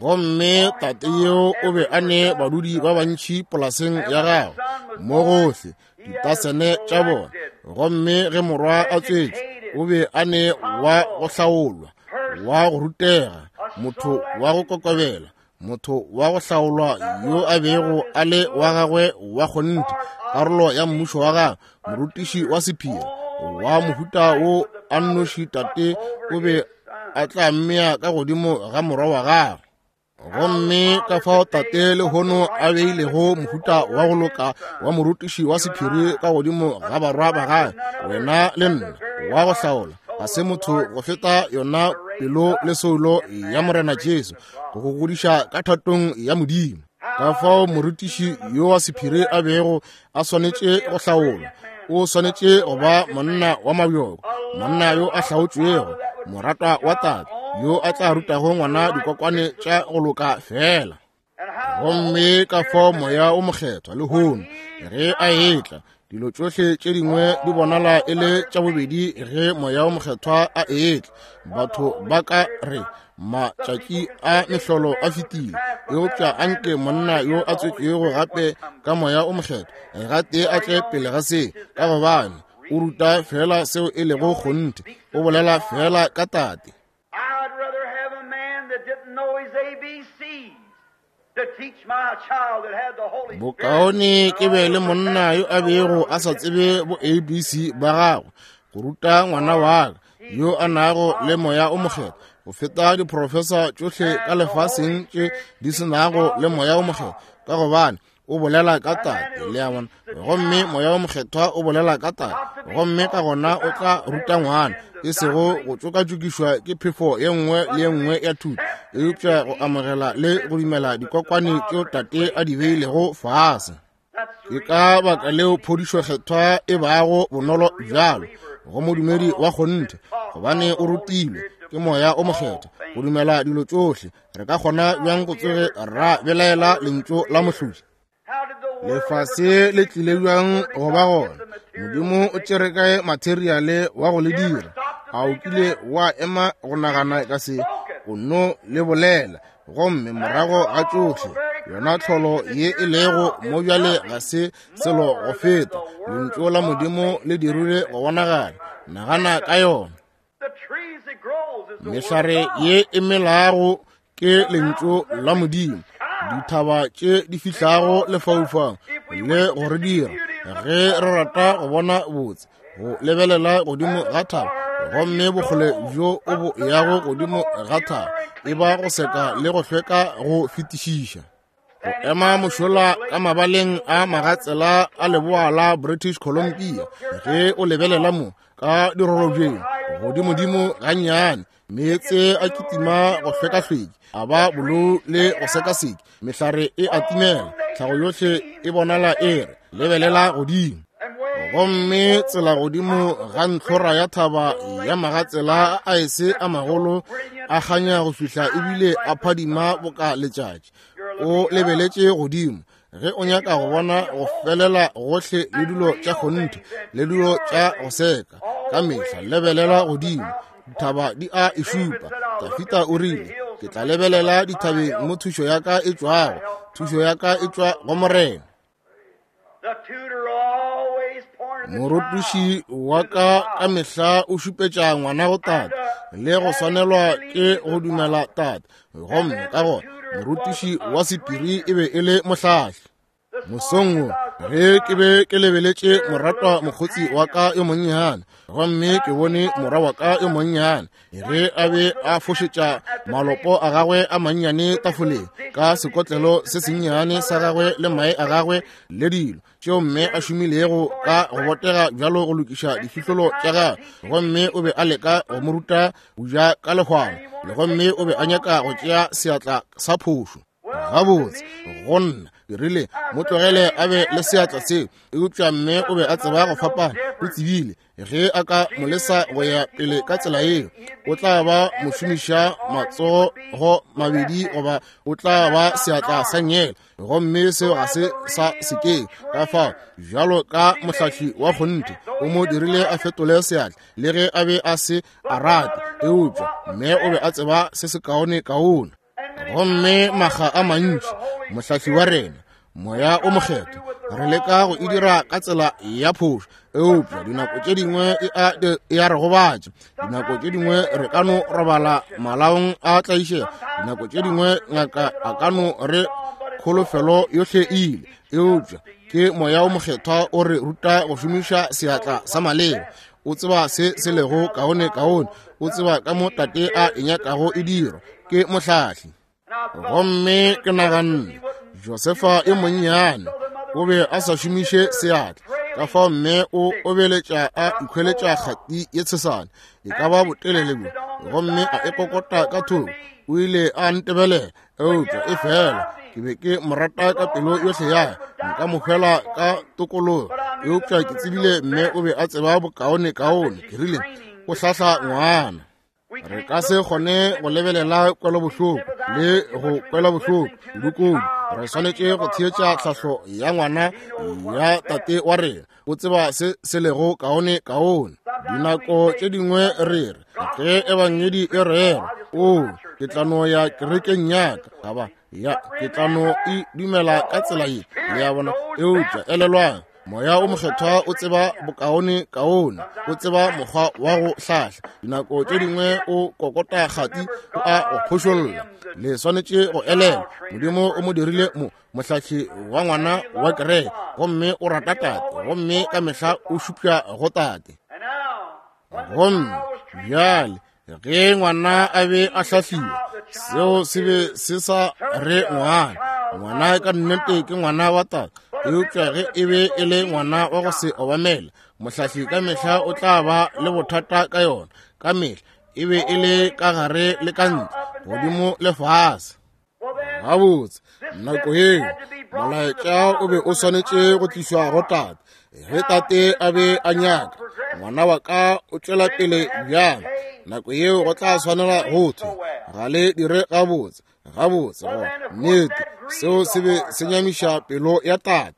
Gomme tate yeo o be a ne badudi ba bantši polaseng ya gagwe mo gohle, ditasene tša bona. Gomme ge morwa a tswetšwe, o be a ne wa go hlaolwa, wa go rutega, motho wa go kokobela, motho wa go hlaolwa yo a bego a le wa gagwe wa kgonthe, karolo ya mmušo wa gagwe, morutiši wa sephiri wa mohuta wo a nnoši tate o be a tla mmea ka godimo ga morwa wa gagwe. Gomme ka fao tate lehono a beilego mohuta wa go loka wa morutiši wa sephiri ka godimo ga barwa ba gagwe, wena le nna, wa go hlaola, ga se motho go feta yona pelo le soulo ya Morena Jesu, go go godiša ka thatong ya Modimo. Ka fao morutiši yo wa sephiri a bego a swanetše go hlaolwa, o swanetše go ba monna wa mabjoko, monna yo a hlaotšwego, moratwa wa tate, yo a tla rutago ngwana dikokwane tša go loka fela. Gomme ka fao Moya o Mokgethwa lehono ge a etla, dilo tšohle tše dingwe di bonala e le tša bobedi ge Moya o Mokgethwa a etla. Batho ba ka re matšatši a mehlolo a fetile, eupša anke monna yo a tswetšwego gape ka Moya o Mokgethwa gatee a tle pele ga se, ka gobane O ruta fela seo e lego kgonthe. O bolela fela ka Tate. I'd rather have a man that didn't know his A B Cs to teach my child that had the Holy Spirit. Bokaone ke be le monna yo a bego a sa tsebe bo A B C ba gagwe go ruta ngwana wa ka yo a nago le moya o mokgethwa go feta diprofesa tšohle ka lefaseng tše di se nago le moya o mokgethwa, ka gobane o bolela ka Tate, le a bona. Gomme moya o mokgethwa o bolela ka Tate, gomme ka gona o tla ruta ngwana, e sego go tšokatšokišwa ke phefo ye nngwe le ye nngwe ya thuto, eupša go amogela le go dumela dikokwane tšeo Tate a di beilego fase. Ke ka baka leo phodišo kgethwa e bago bonolo bjalo go modumedi wa kgonthe, gobane o rutilwe ke moya o mokgethwa go dumela dilo tšohle. Re ka kgona bjang go tsoge ra belaela lentšu la mohlodi? Lefase le tlile bjang go ba gona? Modimo o tšere kae materiale wa go le dira? A o kile wa ema go nagana ka se? O no le bolela, gomme morago ga tšohle yona tlholo ye e lego mo bjale ga se selo go feta lentšu la Modimo le dirile go bonagala. Nagana ka yona. The trees that grows is the word Mehlare of God. ye e melago ke lentšu la Modimo. Dithaba tše di fihlago lefaufaung le go re dira ge re rata go bona botse, go lebelela godimo ga thaba, gomme bokgole bjo o bo yago godimo ga thaba e ba go seka le go hlweka go fetišiša. Go ema mošola ka mabaleng a magatsela a leboa la British Columbia, ge o lebelela mo ka dirorobjeng godimodimo gannyane, meetse a kitima go hlwekahlweki, a ba bolou le go sekaseki, mehlare e a timela, tlhago yohle e bonala e re lebelela godimo. Gomme tsela godimo ga ntlhora ya thaba ya magatsela a aese a magolo a kganya go fihla ebile a phadima boka letšatši. O lebeletše godimo ge o nyaka go bona go felela gohle le dilo tša kgonthe le dilo tša go seka. Ka mehla lebelela godimo, dithaba di a e šupa. Dafita o rile, ke tla lebelela dithabeng mo thušo ya ka e tšwago. Thušo ya ka e tšwa go Morena. The tutor always pointed the Morutiši child wa to the ka ka Father. mehla o šupetša ngwana go Tate le go swanelwa ke go dumela Tate. Gomme ka gona morutiši wa sephiri e be e le mohlahli. This Mosong morning wo as I was ge looking ke be ke lebeletše moratwa mokgotsi wa ka yo monnyane, gomme ke bone morwa wa ka yo monnyane ge a be a fošetša malopo a gagwe a mannyane tafoleng ka sekotlelo se sennyane sa gagwe le mae a gagwe le dilo tšeo mme a šomilego ka go botega bjalo go lokiša difihlolo tša gagwe. Gomme o be a leka go mo ruta go ja ka lehwana, le gomme o be a nyaka go tšea seatla sa phošo. Gabotse go nna ke rile mo tlogele a be le seatla seo, eupša mme o be a tseba go fapana. O tsebile ge a ka mo lesa go ya pele ka tsela yeo, o tla ba mošomiša matsogo mabedi goba o tla ba seatla sa nngele, gomme seo ga se sa sekeng. Ka fao bjalo ka mohlahli wa kgonthe o mo dirile a fetole seatla le ge a be a se a rate, eupša mme o be a tseba se se kaone kaone. Gomme makga a mantši mohlahli wa rena moya o mokgethwa re leka go e dira ka tsela ya phošo, eupša dinako tše dingwe e a e a re gobatša. Dinako tše dingwe re ka no robala malaong a tlaišego, dinako tše dingwe ngaka a ka no re kholofelo yohle e ile, eupša ke moya o mokgethwa o re ruta go šomiša seatla sa maleba. O tseba se se lego kaone kaone, o tseba ka mo Tate a e nyakago e dirwa, ke mohlahli. Gomme ke naganne Josefa e monnyane o be a sa šomiše seatla, ka fao mme o obeletša a ikhweletša kgati ye tshesane e ka ba botelele bjo, gomme a e kokota ka thoko. O ile a ntebelela, eupša e fela ke be ke mo rata ka pelo yohle ya ka, nka mo hwela ka tokologo, eupša ke tsebile mme o be a tseba bokaone kaone. Ke rile o hlahla ngwana. Re ka se kgone go lebelela kwelobohloko le go kwelobohloko kudu-kudu. Re swanetše go theetša tlhahlo ya ngwana ya Tate wa rena. O tseba se se lego kaone kaone. Dinako tše dingwe re re ge ebangedi e rerwa, o ke tla no ya kerekeng ya ka, gaba ya ke tla no e dumela ka tsela ye, le a bona. Eupša elelwang, Moya o Mokgethwa o tseba bokaone kaone, o tseba mokgwa wa go hlahla. Dinako tše dingwe o kokota kgati, o a go phošolla. Le swanetše go elelwa, Modimo o mo dirile mo mohlahli wa ngwana wa kereke, gomme o rata tate, gomme ka mehla o šupša go tate. Gomme bjale ge ngwana a be a hlahliwa, seo se be se sa re ngwana. Ngwana ka nnete ke ngwana wa tate, eupša ge e be e le ngwana wa go se obamele, mohlahli ka mehla o tla ba le bothata ka yona. Ka mehla e be e le ka gare le ka ntle, godimo le fase. Gabotse, nako yeo molaetša o be o swanetše go tlišwa go tate. Ge tate a be a nyaka ngwana wa ka o tšwela pele bjang, nako yeo go tla swanela go thwe ga le dire gabotse. Gabotse, go nnete, seo se be se nyamiša pelo ya tate.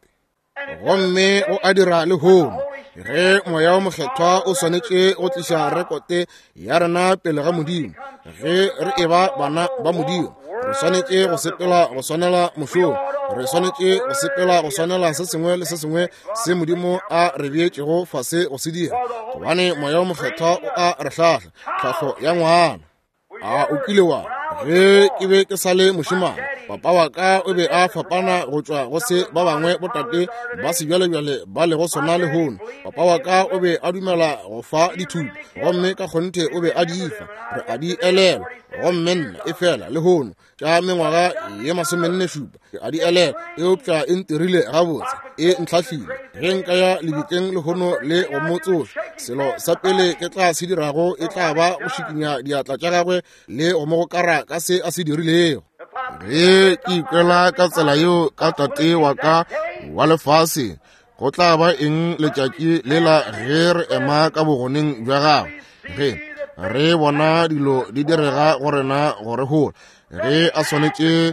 Gomme go a dira lehono, ge Moya o Mokgethwa o swanetše go tliša rekote ya rena pele ga Modimo. Ge re eba bana ba Modimo, re swanetše go sepela go swanela mošomo, re swanetše go sepela go swanela se sengwe le se sengwe se Modimo a re beetšego fase go se dira, gobane Moya o Mokgethwa o a re hlahla, tlhahlo ya ngwana. A o kile wa ge ke be ke sa le mošemane, papa wa ka o be a fapana go tšwa go se ba bangwe botate ba sebjalebjale ba lego sona lehono. Papa wa ka o be a dumela go fa dithuto, gomme ka kgonthe o be a di fa, re a di elelwa. Gomme nna e fela lehono tša mengwaga ye masomenne šupa ke a di elelwa, eupša e ntirile gabotse, e ntlhahlile. Ge nka ya lebitleng lehono le go mo tsoša, selo sa pele ke tla se dirago e tla ba go šikinya diatla tša gagwe le go mo gokara ka se a se dirilego. Ge ke ikwela ka tsela yeo ka tate wa ka wa lefase, go tla ba eng letšatši lela ge re ema ka bogoneng bja gagwe, ge re bona dilo di direga go rena go re hola, ge a swanetše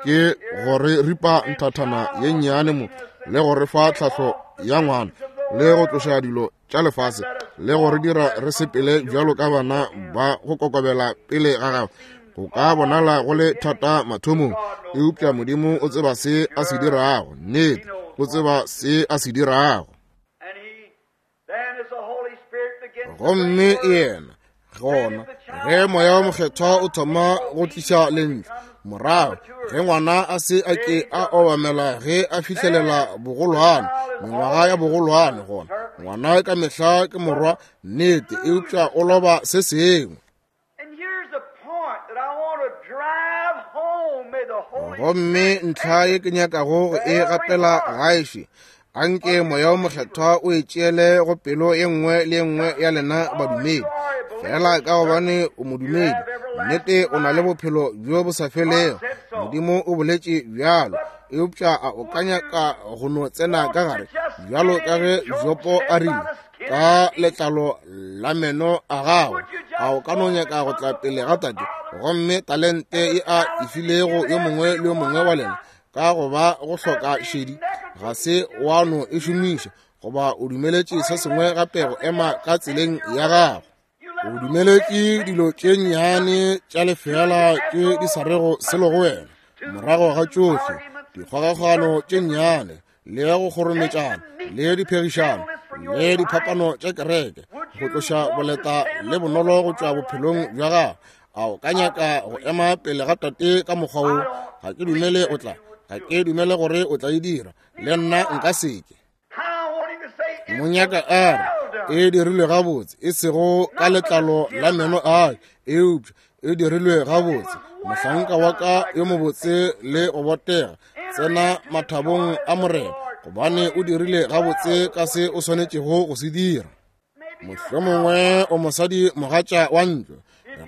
ke go re ripa nthathana ye nnyane mo le go re fa tlhahlo ya ngwana, le go tloša dilo tša lefase, le go re dira re sepele bjalo ka bana ba go kokobela pele ga gagwe. Go ka bonala go le thata mathomong, eupša Modimo o tseba se a se dirago. Nnete, o tseba se a se dirago. Gomme yena gona ge Moya o Mokgethwa o thoma go tliša lentšu morago, ge ngwana a se a ke a obamela ge a fihlelela bogolwane, mengwaga ya bogolwane, gona ngwana ka mehla ke morwa, nnete, eupša o loba se sengwe. Gomme ntlha ye ke nyakago go e gapela gaeše, anke Moya o Mokgethwa o e tšeele go pelo ye nngwe le ye nngwe ya lena badumedi. Fela ka gobane o modumedi, nnete o na le bophelo bjo bo sa felego. Modimo o boletše bjalo, eupša a o ka nyaka go no tsena ka gare bjalo ka ge Jopo a rile, ka letlalo la meno a gago, a o ka no nyaka go tla pele ga tate, gomme talente ye a e filego yo mongwe le yo mongwe wa lena ka go ba go hloka šedi, ga se wa no e šomiša, goba o dumeletše se sengwe gape go ema ka tseleng ya gago. O dumeletše dilo tše nnyane tša lefeela tše di sa rego selo go wena, morago ga tšohle dikgogakgogano tše nnyane le go kgorometšana le diphegišano le diphapano tša kereke, go tloša boleta le bonolo go tšwa bophelong bja gago. A o ka nyaka go ema pele ga tate ka mokgwa wo? Ga ke dumele o tla, ga ke dumele gore o tla e dira, le nna nka seke. Monyaka a re e dirilwe gabotse, e sego ka letlalo la meno a, eupša e dirilwe gabotse. Mohlanka wa ka yo mobotse le go botega, tsena mathabong a Morena, gobane o dirile gabotse ka se o swanetšego go se dira. Mohlomongwe o mosadi mogatša wa ntlo,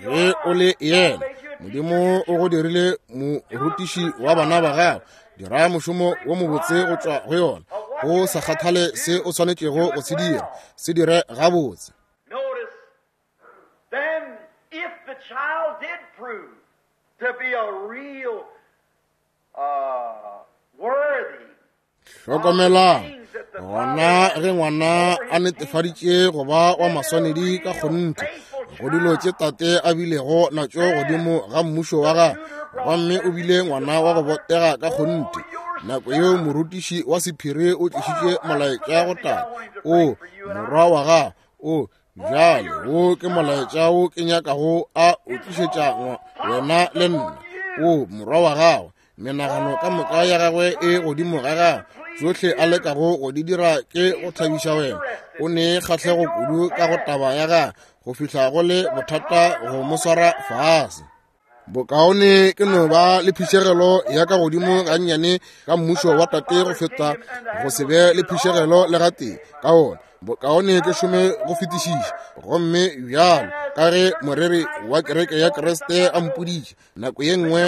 ge o le yena, Modimo o go dirile morutiši wa bana ba gago. Dira mošomo wo mobotse go tšwa go yona, go sa kgathale se o swanetšego go se dira, se dire gabotse. Hlokomelang gona ge ngwana a netefaditše go ba wa maswanedi ka kgonthe go dilo tše tate a bilego natšo godimo ga mmušo wa gagwe, gomme o bile ngwana wa go botega ka kgonthe. Nako yeo morutiši wa sephiri o tlišitše molaetša go tate, o morwa wa gago, o bjale wo ke molaetša wo ke nyakago a o tlišetša wena le nna. O morwa wa gago, menagano ka moka ya gagwe e godimo ga gagwe, tšohle a lekago go di dira ke go thabiša wena. O ne kgahlego kudu ka go taba ya gagwe go fihla go le bothata go mo swara fase. Bokaone ke no ba le phišegelo ya ka godimo gannyane ka mmušo wa tate go feta go se be le phišegelo le gatee ka ona. Bokaone ke šome go fetišiša. Gomme bjalo ka ge moreri wa kereke ya Kriste a mpoditše nako ye nngwe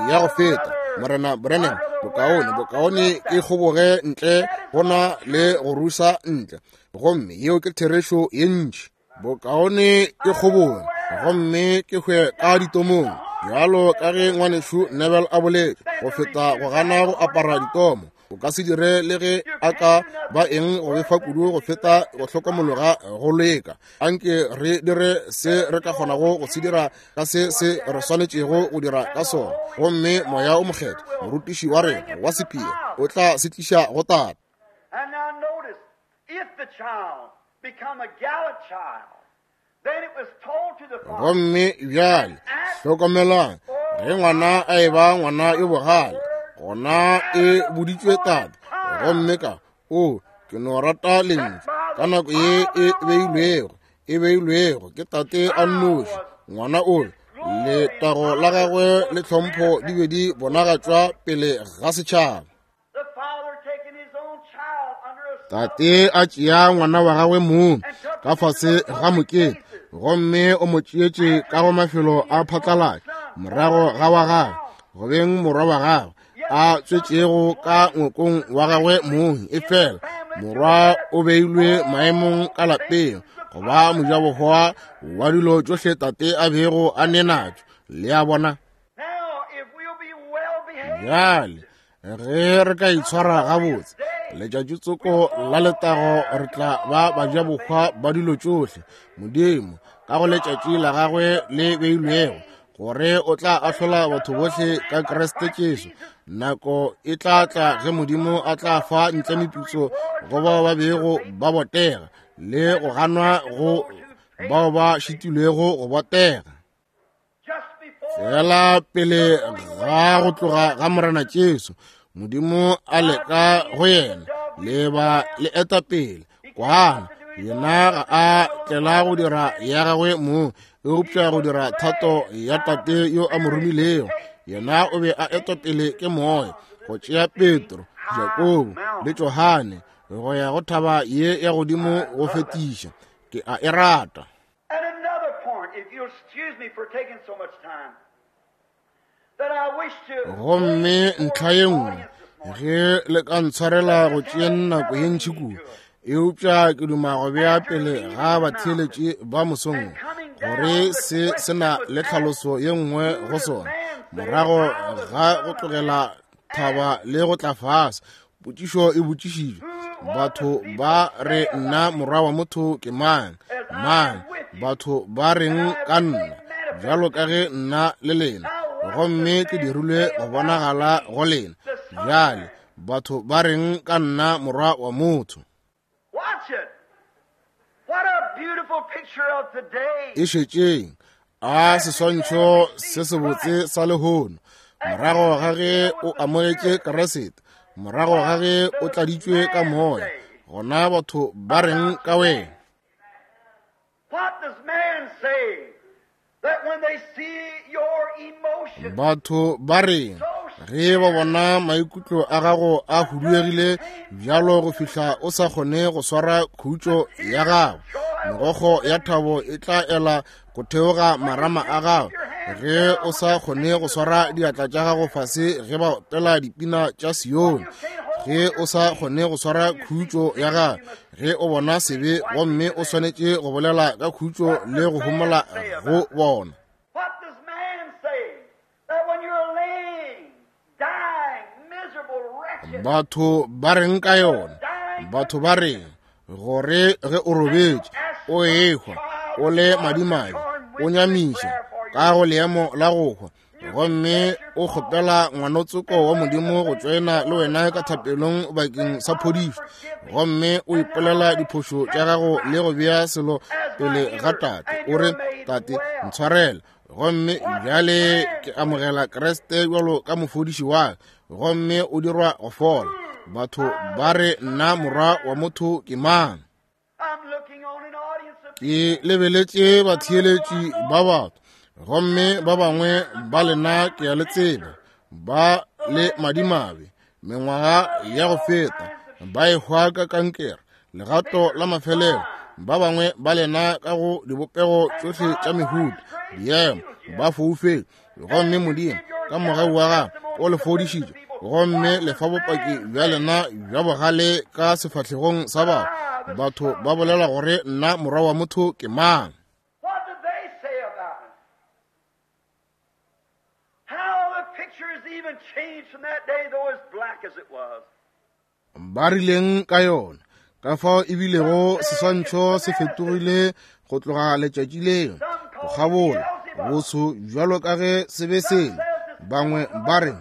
ya go feta, Morena Branham, bokaone bokaone ke kgoboge ntle go na le go rusa ntle. Gomme yeo ke therešo ye ntši. Bokaone ke kgoboge gomme ke hwe ka ditomong, bjalo ka ge ngwanešu Neville a boletše, go feta go gana go apara ditomo. O ka se dire le ge a ka ba eng go befa kudu go feta go hlokomologa go leka. Anke re dire se re ka kgonago go se dira ka se se re swanetšego go dira ka sona. Gomme Moya o Mokgethwa, morutiši wa rena wa sephiri, o tla se tliša go tate. And now notice, if the child become a gallant child, then it was told to the father. Gomme bjale hlokomelang, ge ngwana a eba ngwana yo bogale, gona e boditšwe tate. Gomme ka o ke no rata lentšu ka nako ye e beilwego, e beilwego ke tate a nnoši. Ngwana o letago la gagwe le tlhompho di be di bonagatšwa pele ga setšhaba. The father taking his own child under a Tate a tšea ngwana wa gagwe mong ka fase ga mokete, gomme o mo tšeetše ka go mafelo a phatlalatša morago ga wa gagwe, go beng morwa wa gagwe a tswetšego ka ngwakong wa gagwe mong. Efela morwa o beilwe maemong ka lapeng go ba mojabohwa wa dilo tšohle tate a bego a ne natšo. Le a bona? Now, if we'll be well behaved, Bjale ge re ka itshwara gabotse, letšatši tsoko la letago re tla ba bajabohwa ba dilo tšohle Modimo ka go letšatši la gagwe le beilwego, gore o tla ahlola batho bohle ka Kriste Jesu. Nako e tla tla ge Modimo a tla fa ntle meputso go bao ba bego ba botega le go ganwa go bao ba šitilwego go botega. just before Fela pele ga go tloga ga Morena Jesu, Modimo a leka go yena le ba le eta pele kwana. Yena ga a tlela go dira ya gagwe mong, eupša go dira thato ya tate yo a mo romilego. Yena o be a etwa pele ke moya go tšea Petro, Jakobo le Johane go ya go thaba ye ya godimo go fetiša. Ke a e rata. And another point, if you'll excuse me for taking so much time, that I wish to Gomme ntlha ye nngwe, ge le ka ntshwarela go tšea nako ye ntši kudu, eupša ke duma go bea pele ga batheeletši ba mosong gore se se na le tlhaloso ye nngwe go sona. Morago ga go tlogela thaba le go tla fase, potšišo e botšišitšwe, batho ba re nna morwa wa motho ke mang? Mang? Batho ba reng ka nna? Bjalo ka ge nna le lena, gomme ke dirilwe go bonagala go lena. Bjale batho ba reng ka nna morwa wa motho? Watch it. What a beautiful picture of today. E šetšeng a seswantšho se sebotse sa lehono. Morago ga ge o amogetše Kriste, morago ga ge o tladitšwe ka moya, gona batho ba reng ka wena? What does man say? That when they see your emotions, Batho ba reng ge ba bona maikutlo a gago a huduegile bjalo go fihla o sa kgone go swara khutšo ya gago? Megokgo ya thabo e tla ela go theoga marama a gago ge o sa kgone go swara diatla tša gago fase ge ba opela dipina tša Sione. Ge o sa kgone go swara khutšo ya gago ge o bona sebe, gomme o swanetše go bolela ka khutšo le go homola go bona. What does man say? That when you're laying, dying, miserable, wretched, Batho ba reng ka yona? Batho ba reng gore ge o robetše, o ehwa, o le madimabe, o nyamiša ka go leemo la go hwa, gomme o kgopela ngwanotsoko wa Modimo go tšoena le wena ka thapelong bakeng sa phodišo, gomme o ipolela diphošo tša gago le go bea selo pele ga Tate, o re, Tate, ntshwarele, gomme bjale ke amogela Kriste bjalo ka mofodiši wa ka, gomme o dirwa go fola. Batho ba re nna morwa wa motho ke mang? Ke lebeletše batheeletši ba batho, gomme ba bangwe ba lena ke a le tseba, ba le madimabe, mengwaga ya go feta, ba ehwa ka kankere, legato la mafelelo, ba bangwe ba lena ka go dibopego tšohle tša mehuta, diemo, ba foufetše, gomme Modimo ka mogau wa gagwe o le fodišitše, gomme le fa bopaki bja lena bja bogale ka sefahlegong sa batho. Batho ba bolela gore nna morwa wa motho ke mang? Ba rileng ka yona, ka fao e bilego seswantšho se fetogile go tloga letšatši leo, go kgabola boso bjalo ka ge se be sele. Bangwe ba re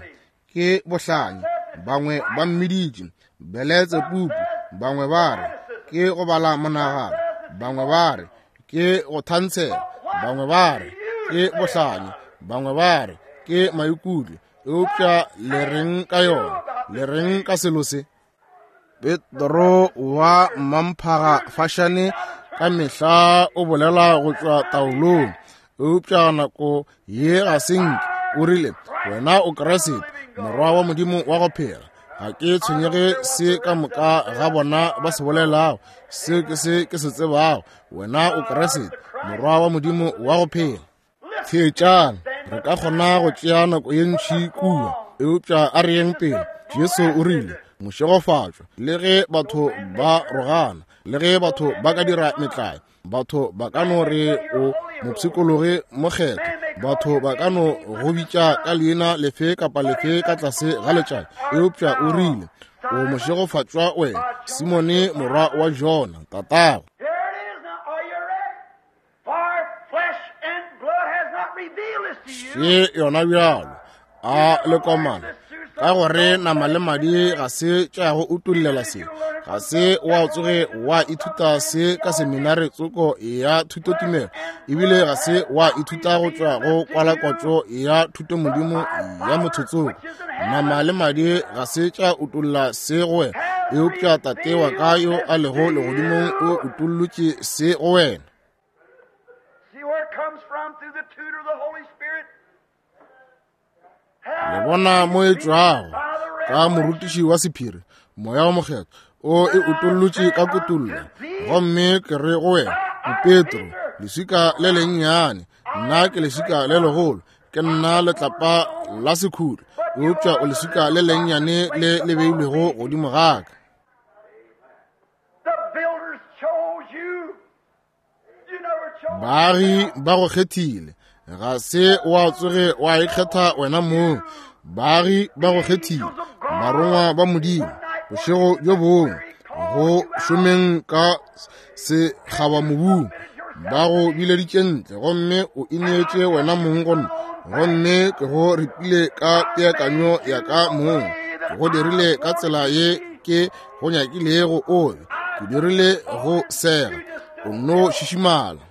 ke bohlanya, bangwe ba mmiditše Beletsebubu, bangwe ba re ke go bala monagano, bangwe ba re ke go thantshela, bangwe ba re ke bohlanya, bangwe ba re ke maikutlo. Eupša le reng ka yona? Le reng ka selo se? Petro wa mamphaga fašane ka mehla o bolela go tšwa taolong, eupša nako ye ga se nke. O rile, wena o Kriste, morwa wa Modimo wa go phela. Ga ke tshwenyege se ka moka ga bona ba se bolelago, se ke se ke se tsebago, wena o Kriste, morwa wa Modimo wa go phela. Theetšang, re ka kgona go tšea nako ye ntši kua, eupša a re yeng pele. Jesu o rile, mošegofatšwa, le ge batho ba rogana, le ge batho ba ka dira metlae, batho ba ka no re o mopshikologi mokgethwa, batho ba ka no go bitša ka leina lefe kapa lefe ka tlase ga letšatši, eupša o rile, o mošegofatšwa wena, Simone morwa wa Jona, tatago. Še yona bjalo, a le komana, ka gore nama le madi ga se tša go utollela se, ga se wa tsoge wa ithuta se ka seminare tsoko ya thutotumelo, ebile ga se wa ithuta go tšwa go kwalakwatšo ya thutomodimo ya motho tsoko. Nama le madi ga se tša utolla se go wena, eupša Tate wa ka yo a lego legodimong o utollotše se go wena. Le bona mo e tšwago ka morutiši wa sephiri, Moya wa Mokgethwa o e utollotše ka kutollo. Gomme ke re go wena, o Petro, leswika le lennyane, nna ke leswika le legolo, ke nna letlapa la sekhutlo, eupša o leswika le lennyane le le beilwego godimo ga ka. Baagi ba go kgethile, ga se wa tsoge wa ikgetha wena mong. Baagi ba go kgethile, barongwa ba Modimo, bošego bjo bongwe go šomeng ka sekgabamobung, ba go bileditše ntle, gomme o ineetše wena mong go nna, gomme ke go ripile ka peakanyo ya ka mong, ke go dirile ka tsela ye ke go nyakilego o be, ke dirile go sega, o nno šišimala.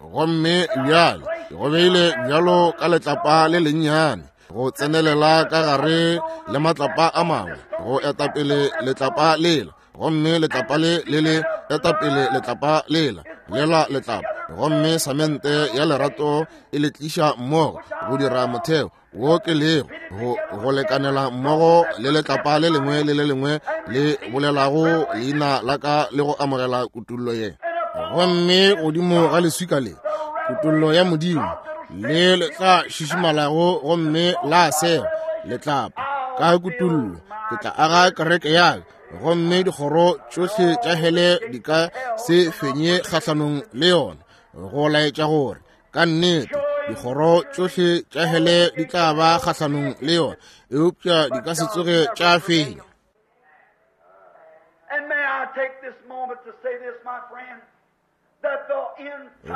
Gomme bjale ke go beile bjalo ka letlapa le lennyane, go tsenelela ka gare le matlapa a mangwe, go etapele letlapa lela, gomme letlapa le le le etapele letlapa lela, lela letlapa, gomme samente ya lerato e le tliša mmogo go dira motheo wo ke lego go go lekanela mmogo le letlapa le lengwe le le lengwe le bolelago leina la ka le go amogela kutollo ye. Gomme godimo ga leswika le, kutollo ya Modimo, le le tla šišimalago gomme la sega letlapa ka kutollo, ke tla aga kereke ya ka, gomme dikgoro tšohle tša hele di ka se fenye kgahlanong le yona, go laetša gore ka nnete dikgoro tšohle tša hele di tla ba kgahlanong le yona, eupša di ka se tsoge tša fenya.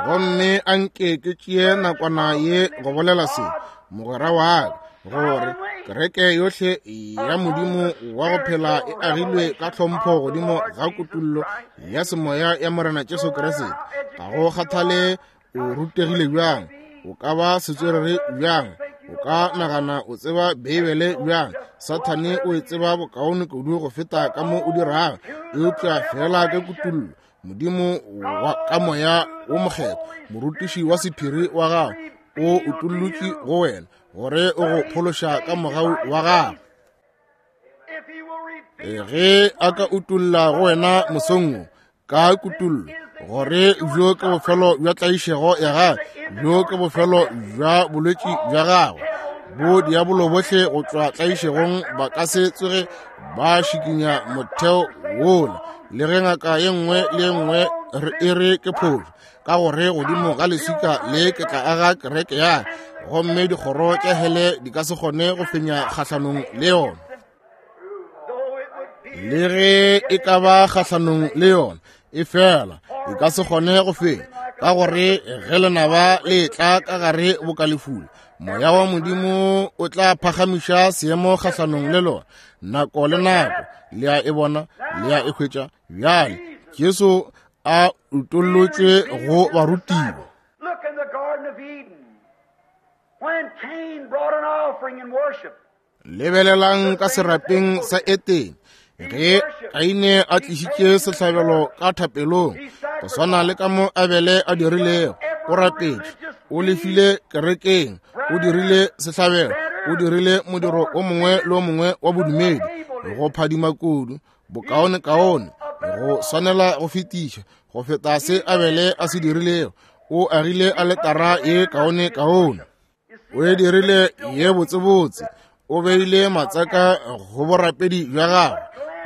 Gomme anke ke tšee nakwana ye go bolela se, mogwera wa ka, gore kereke yohle ya Modimo wa go phela e agilwe ka tlhompho godimo ga kutullo ya semoya ya Morena Jesu Kriste. Ga go kgathale o rutegile bjang, o ka ba setswerere bjang, o ka nagana o tseba Beibele bjang, Sathane o e tseba bokaone kudu go feta ka mo o dirago, eupša fela ka kutullo Modimo wa ka moya wo mokgethwa, morutiši wa sephiri wa gago, o utollotše go wena gore o go phološa ka mogau wa gago. Ge a ka utolla go wena mosong wo ka kutullo gore bjo ke bofelo bja tlaišego ya gagwe, bjo ke bofelo bja bolwetši bja gagwe, bo diabolo bohle go tšwa tlaišegong ba ka se tsoge ba šikinya motheo wola, le ge ngaka ye nngwe le ye nngwe e re ke phošo, ka gore godimo ga leswika le ke tla aga kereke ya, gomme dikgoro tša hele di ka se kgone go fenya kgahlanong le yona. Le ge e ka ba kgahlanong le yona, e fela e ka se kgone go fenya, ka gore ge lenaba le tla ka gare bokalefula, moya wa Modimo o tla phagamiša seemo kgahlanong le lona nako le nako. Le a e bona, le a e hwetša. Bjale Jesu a utollotšwe go barutiwa. Look in the Garden of Eden, when Cain brought an offering in worship. Lebelelang ka serapeng sa Etene, ge Kaine a tlišitše sehlabelo ka thapelong, go swana le ka mo Abele a dirilego, o rapetše, o lefile kerekeng, o dirile sehlabelo, o dirile modiro o mongwe le o mongwe wa bodumedi, go phadima kudu, bokaonekaone, go swanela go fetiša, go feta se Abele a se dirilego. O agile aletara ye kaonekaone, o e dirile ye botsebotse, o beile matsaka go borapedi bja gagwe.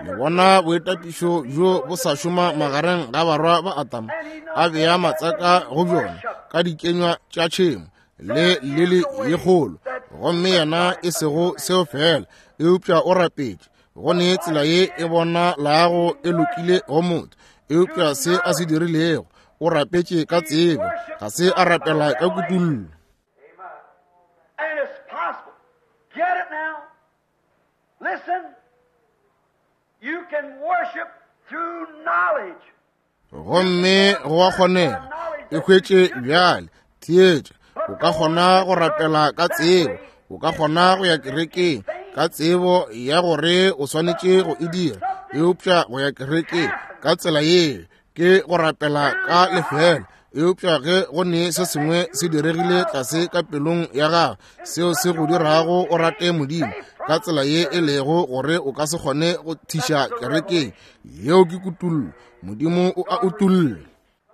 Le bona boitapišo bjo bo sa šoma magareng ga barwa ba Adama, a bea matsaka go bjona ka dikenywa tša tšhemo le lili ye kgolo, gomme yena e sego seo fela, eupša o rapetše. Go ne tsela ye e bona lago e lokile go motho, eupša se a se dirilego, o rapetše ka tsebo, ga se a rapela ka kutullo. And it's possible. Get it now. Listen. You can worship through knowledge. Gomme go a kgonega, e hwetše bjale, theetša, o ka kgona go rapela ka tsebo, o ka kgona go ya kerekeng ka tsebo ya gore o swanetše go e dira, eupša go ya kerekeng ka tsela ye ke go rapela ka lefela. Eupša ge go ne se sengwe se diregile tlase ka pelong ya gago, seo se go dirago o rate Modimo ka tsela ye e lego gore o ka se kgone go thiša kerekeng, yeo ke kutullo. Modimo o a utolla.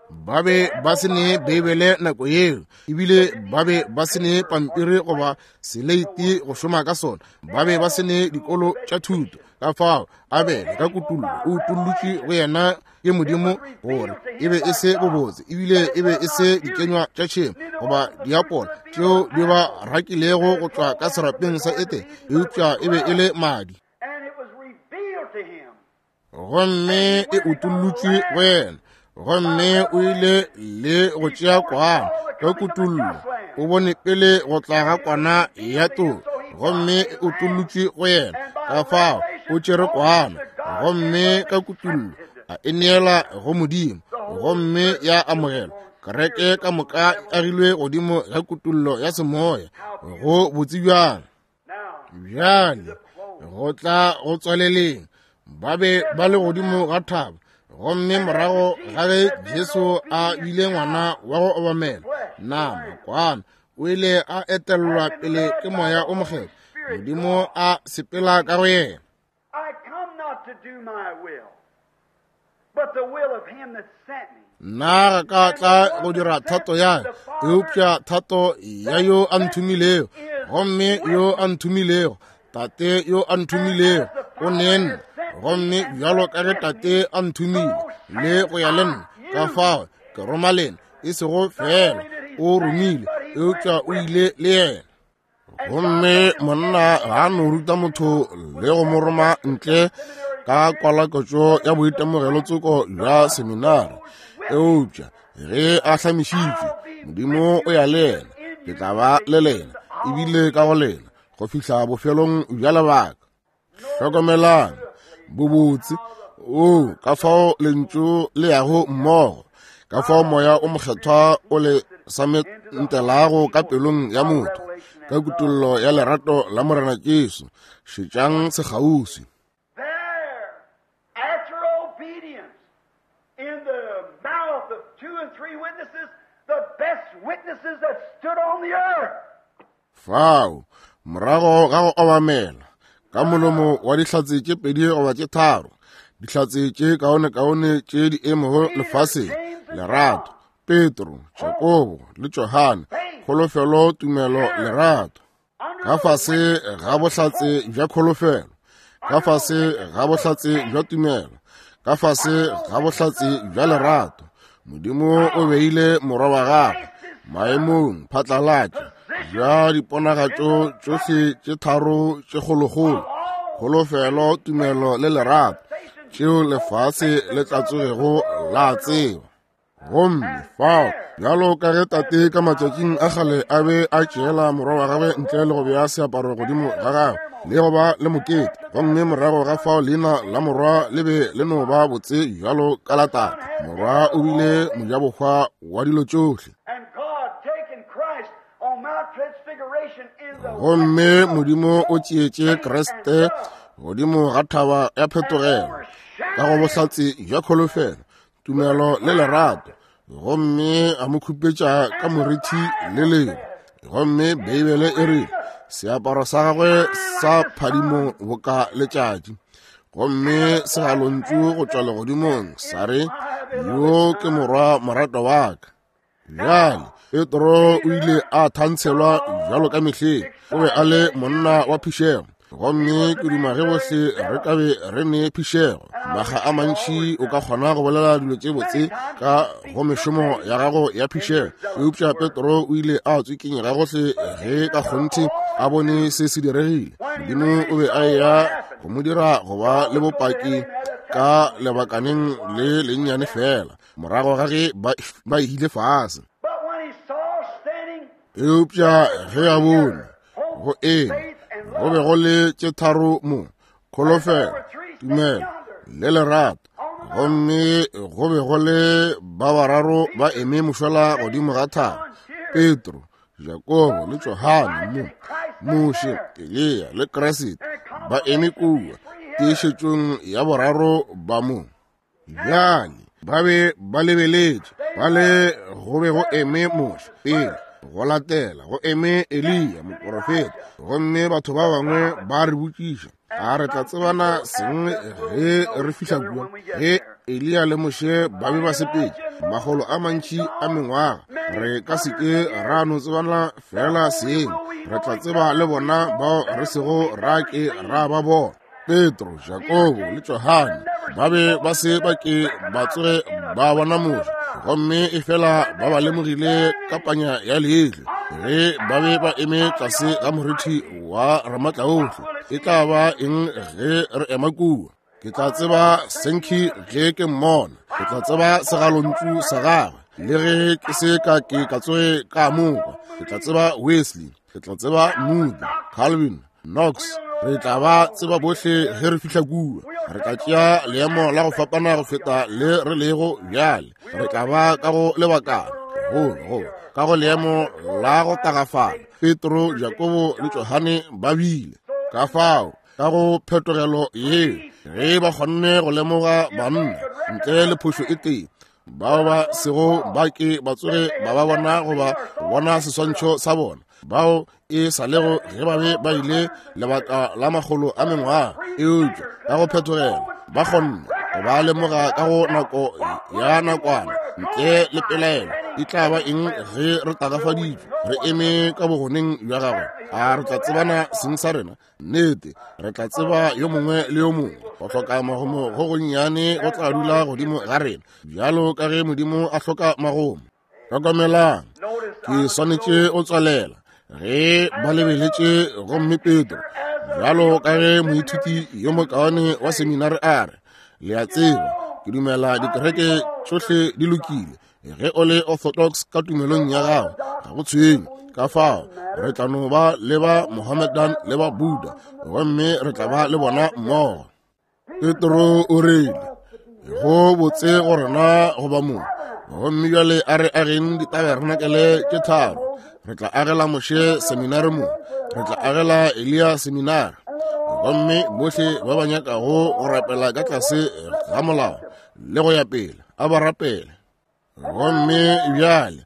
Ba be ba se ne Beibele nako yeo, ebile ba be ba se ne pampiri goba seleiti go šoma ka sona, ba be ba se ne dikolo tša thuto. Ka fao Abele ka kutullo o utollotšwe go yena ke Modimo gore e be e se bobotse, ebile e be e se dikenywa tša tšhemo goba diapola tšeo di ba rakilego go tšwa ka serapeng sa Etene, eupša e be e le madi. And it was revealed to him. Gomme e utollotšwe go yena, gomme o ile le go tšea kwana ka kutullo, o bone pele go tla ga kwana ya toro, gomme e utollotšwe go yena. Ka fao o tšere kwana, gomme ka kutullo a e neela go Modimo, gomme ya amogelwa. Kereke ka moka e agilwe godimo ga kutullo ya semoya, go botse bjang. Bjale go tla go tswaleleng, ba be ba le godimo ga thaba, gomme morago ga ge Jesu a bile ngwana wa go obamela nama kwana, o ile a etellwa pele ke moya o mokgethwa, Modimo a sepela ka go yena. I come not to do my will, but the will of him that sent me. Nna ga ka tla go dira thato ya ka, eupša thato ya yo a nthomilego, gomme yo a nthomilego, Tate yo a nthomilego o ne nna, gomme bjalo ka ge Tate a nthomile le go ya le nna, ka fao ke roma lena, e sego fela o romile, eupša o ile le yena. Gomme monna ga a no ruta motho le go mo roma ntle ka kwalakotšo ya boitemogelo tsoko bja seminari, eupša ge a hlamišitšwe, Modimo o ya le yena. Ke tla ba le lena e bile ka go lena go fihla bofelong bja lebaka. Hlokomelang bobotse o ka fao lentšu le yago mmogo, ka fao moya o mokgethwa o le samentelago ka pelong ya motho ka kutollo ya lerato la Morena Jesu. Šetšang sekgauswi. There, after obedience, in the mouth of two and three witnesses, the best witnesses that stood on the earth. Fao, morago ga go obamela ka molomo wa dihlatse tše pedi goba tše tharo, dihlatse tše kaonekaone tše di emego lefaseng, lerato, Petro, Jakobo le Johane, kholofelo, tumelo, lerato. Ka fase ga bohlatse bja kholofelo, ka fase ga bohlatse bja tumelo, ka fase ga bohlatse bja lerato, Modimo o beile morwa wa gagwe maemong phatlalatša bja diponagatšo tšohle tše tharo tše kgolokgolo, kholofelo, tumelo le lerato, tšeo lefase le tla tsogego la tseba. Gomme fao, bjalo ka ge tate ka matšatšing a kgale a be a tšeela morwa wa gagwe ntle le go bea seaparo godimo ga gagwe le go ba le mokete, gomme morago ga fao leina la morwa le be le no ba botse bjalo ka la tate. Morwa o bile mojabohwa wa dilo tšohle. And God taking Christ on Mount Transfiguration in the Gomme Modimo o tšeetše Kriste godimo ga thaba ya phetogelo ka go bohlatse bja kholofelo, tumelo le lerato, gomme a mo khupetša ka morithi le lengwe. Gomme Beibele e re seaparo sa gagwe sa phadimo boka letšatši, gomme segalontšu go tšwa legodimong sa re, yo ke morwa moratwa wa ka. Bjale Petro o ile a thantshelwa bjalo ka mehleng, o be a le monna wa phišego, gomme ke duma ge bohle re ka be re ne phišego. Makga a mantši o ka kgona go bolela dilo tše botse ka go mešomo ya gago ya phišego, eupša Petro o ile a tswikinyega gohle ge ka kgonthe a bone se se diregile. Modimo o be a eya go mo dira go ba le bopaki ka lebakaneng le lennyane fela morago ga ge ba, ba ile fase. But when he saw standing Eupša ge a bone go eme go be go le tše tharo mo, kholofelo, tumelo le lerato, gomme go be go le ba bararo ba eme mošola godimo ga thaba, Petro, Jakobo le Johane mo, Moshe, Eliya le Kriste ba eme kua tiišetšong ya boraro ba mo. Bjale ba be ba lebeletše, ba le go be go eme Moshe pele, go latela go eme Eliya moprofeta, gomme batho ba bangwe ba re botšiša, a re tla tsebana seng ge re fihla kua? Ge Eliya le Moshe ba be ba sepetše makgolo a mantši a mengwaga, re ka se ke ra no tsebana fela seng, re tla tseba le bona bao re sego ra ke ra ba bona. Petro, Jakobo le Johane ba be ba se ba ke ba tsoge ba bona Moshe, gomme efela ba ba lemogile ka panya ya leihlo ge ba be ba eme tlase ga morithi wa Ramatlaohle. E tla ba eng ge re ema kua? Ke tla tseba Sankey ge ke mmona, ke tla tseba segalontšu sa gagwe, le ge ke se ka ke ka tsoge ka mokwa. Ke tla tseba Wesley, ke tla tseba Moody, Calvin, Knox. Re tla ba tseba bohle ge re fihla kua. Re tla tšea leemo la go fapana go feta le re lego bjale. Re tla ba ka go lebakana, go go ka go leemo la go tagafala. Petro, Jakobo le Johane ba bile ka fao ka go phetogelo yeo, ge ba kgonne go lemoga banna ntle le phošo e tee, bao ba sego ba ke ba tsoge ba ba bona goba bona seswantšho sa bona, bao e sa lego ge ba be ba ile lebaka la makgolo a mengwaga, eupša ka go phetogelo ba kgonne go ba lemoga ka go nako ya nakwana ntle le pelaelo. E tla ba eng ge re tagafaditšwe re eme ka bogoneng bja gagwe? A re tla tsebana seng sa rena? Nnete, re tla tseba yo mongwe le yo mongwe. Go hloka magomo go gonnyane go tla dula godimo ga rena, bjalo ka ge Modimo a hloka magomo. Hlokomelang, ke swanetše go tswalela. Ge ba lebeletše, gomme Petro, bjalo ka ge moithuti yo mokaone wa seminare a re, le a tseba, ke dumela dikereke tšohle di lokile. Ge o le orthodox ka tumelong ya gago, ga go tshwenye Ka fao re tla no ba le ba Mohammedan le ba Buddha, gomme re tla ba le bona mmogo. Petro o rile, go botse go rena go ba mo, gomme bjale a re ageng ditabernakele tše tharo. Re tla agela Moshe seminari mo, re tla agela Eliya seminari, gomme bohle ba ba nyakago go rapela ka tlase ga molao le go ya pele a ba rapele. Gomme bjale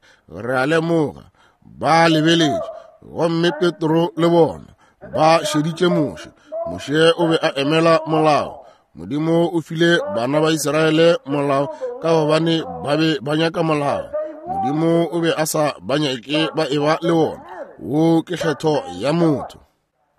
re a lemoga ba lebeletše, gomme Petro le bona ba šeditše Moshe. Moshe o be a emela molao. Modimo o file bana ba Israele molao ka gobane ba be ba nyaka molao. Modimo o be a sa ba nyake ba eba le wona. Wo ke kgetho ya motho.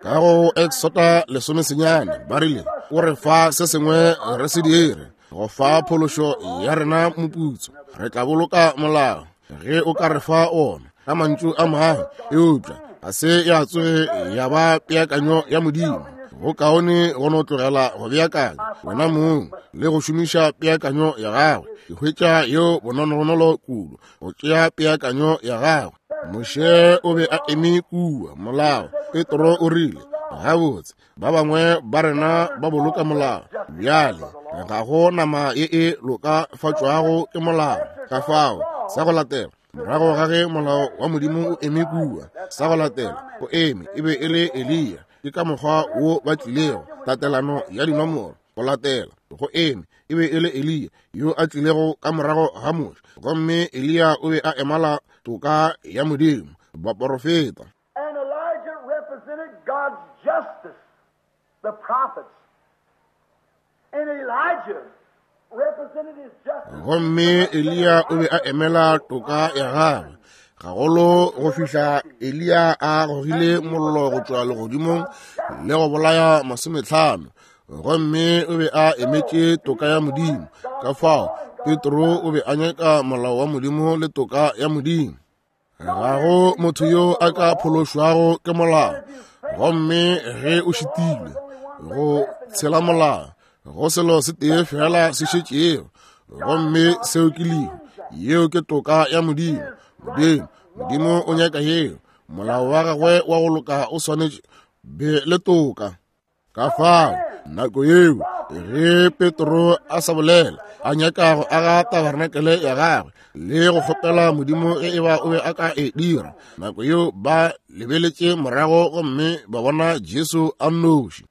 Ka go Exoda lesomesenyane ba rile, o re fa se sengwe re se dire go fa phološo ya rena moputso, re tla boloka molao ge o ka re fa ona. Ka mantšu a mangwe, eupša ga se ya tsoge ya ba peakanyo ya Modimo. Go kaone go no tlogela go beakanya wena mong le go šomiša peakanyo ya gagwe. Ke hwetša yeo bononogonolo kudu go tšea peakanyo ya gagwe. Moshe o be a eme kua molao. Petro o rile, gabotse ba bangwe ba rena ba boloka molao. Bjale ga go nama ye e lokafatšwago ke molao. Ka fao sa go latela, morago ga ge molao wa Modimo o eme kua, sa go latela o eme e be e le Eliya. Ke ka mokgwa wo ba tlilego, tatelano ya dinomoro go latela go eme e be e le Eliya yo a tlilego ka morago ga Moshe, gomme Eliya o be a emela toka ya Modimo, baporofeta. And Elijah represented God's justice, the prophets. And Elijah represented his justice. Gomme Eliya o be a emela toka ya gagwe, gagolo go fihla Eliya a gogile mollo go tšwa legodimong le go bolaya masometlhano. Gomme o be a emetše toka ya Modimo. Ka fao Petro o be a nyaka molao wa Modimo le toka ya Modimo. Ga go motho yo a ka phološwago ke molao, gomme ge o šitilwe go tshela molao, go selo se tee fela se šetšego, gomme seo ke lehu. Yeo ke toka ya Modimo. Modimo Modimo o nyaka yeo. Molao wa gagwe wa go loka o swanetše be le toka. Ka fao nako yeo ge Petro a sa bolela a nyaka go aga tabernakele ya gagwe le go kgopela Modimo ge e ba o be a ka e dira, nako yeo ba lebeletše morago gomme ba bona Jesu a nnoši.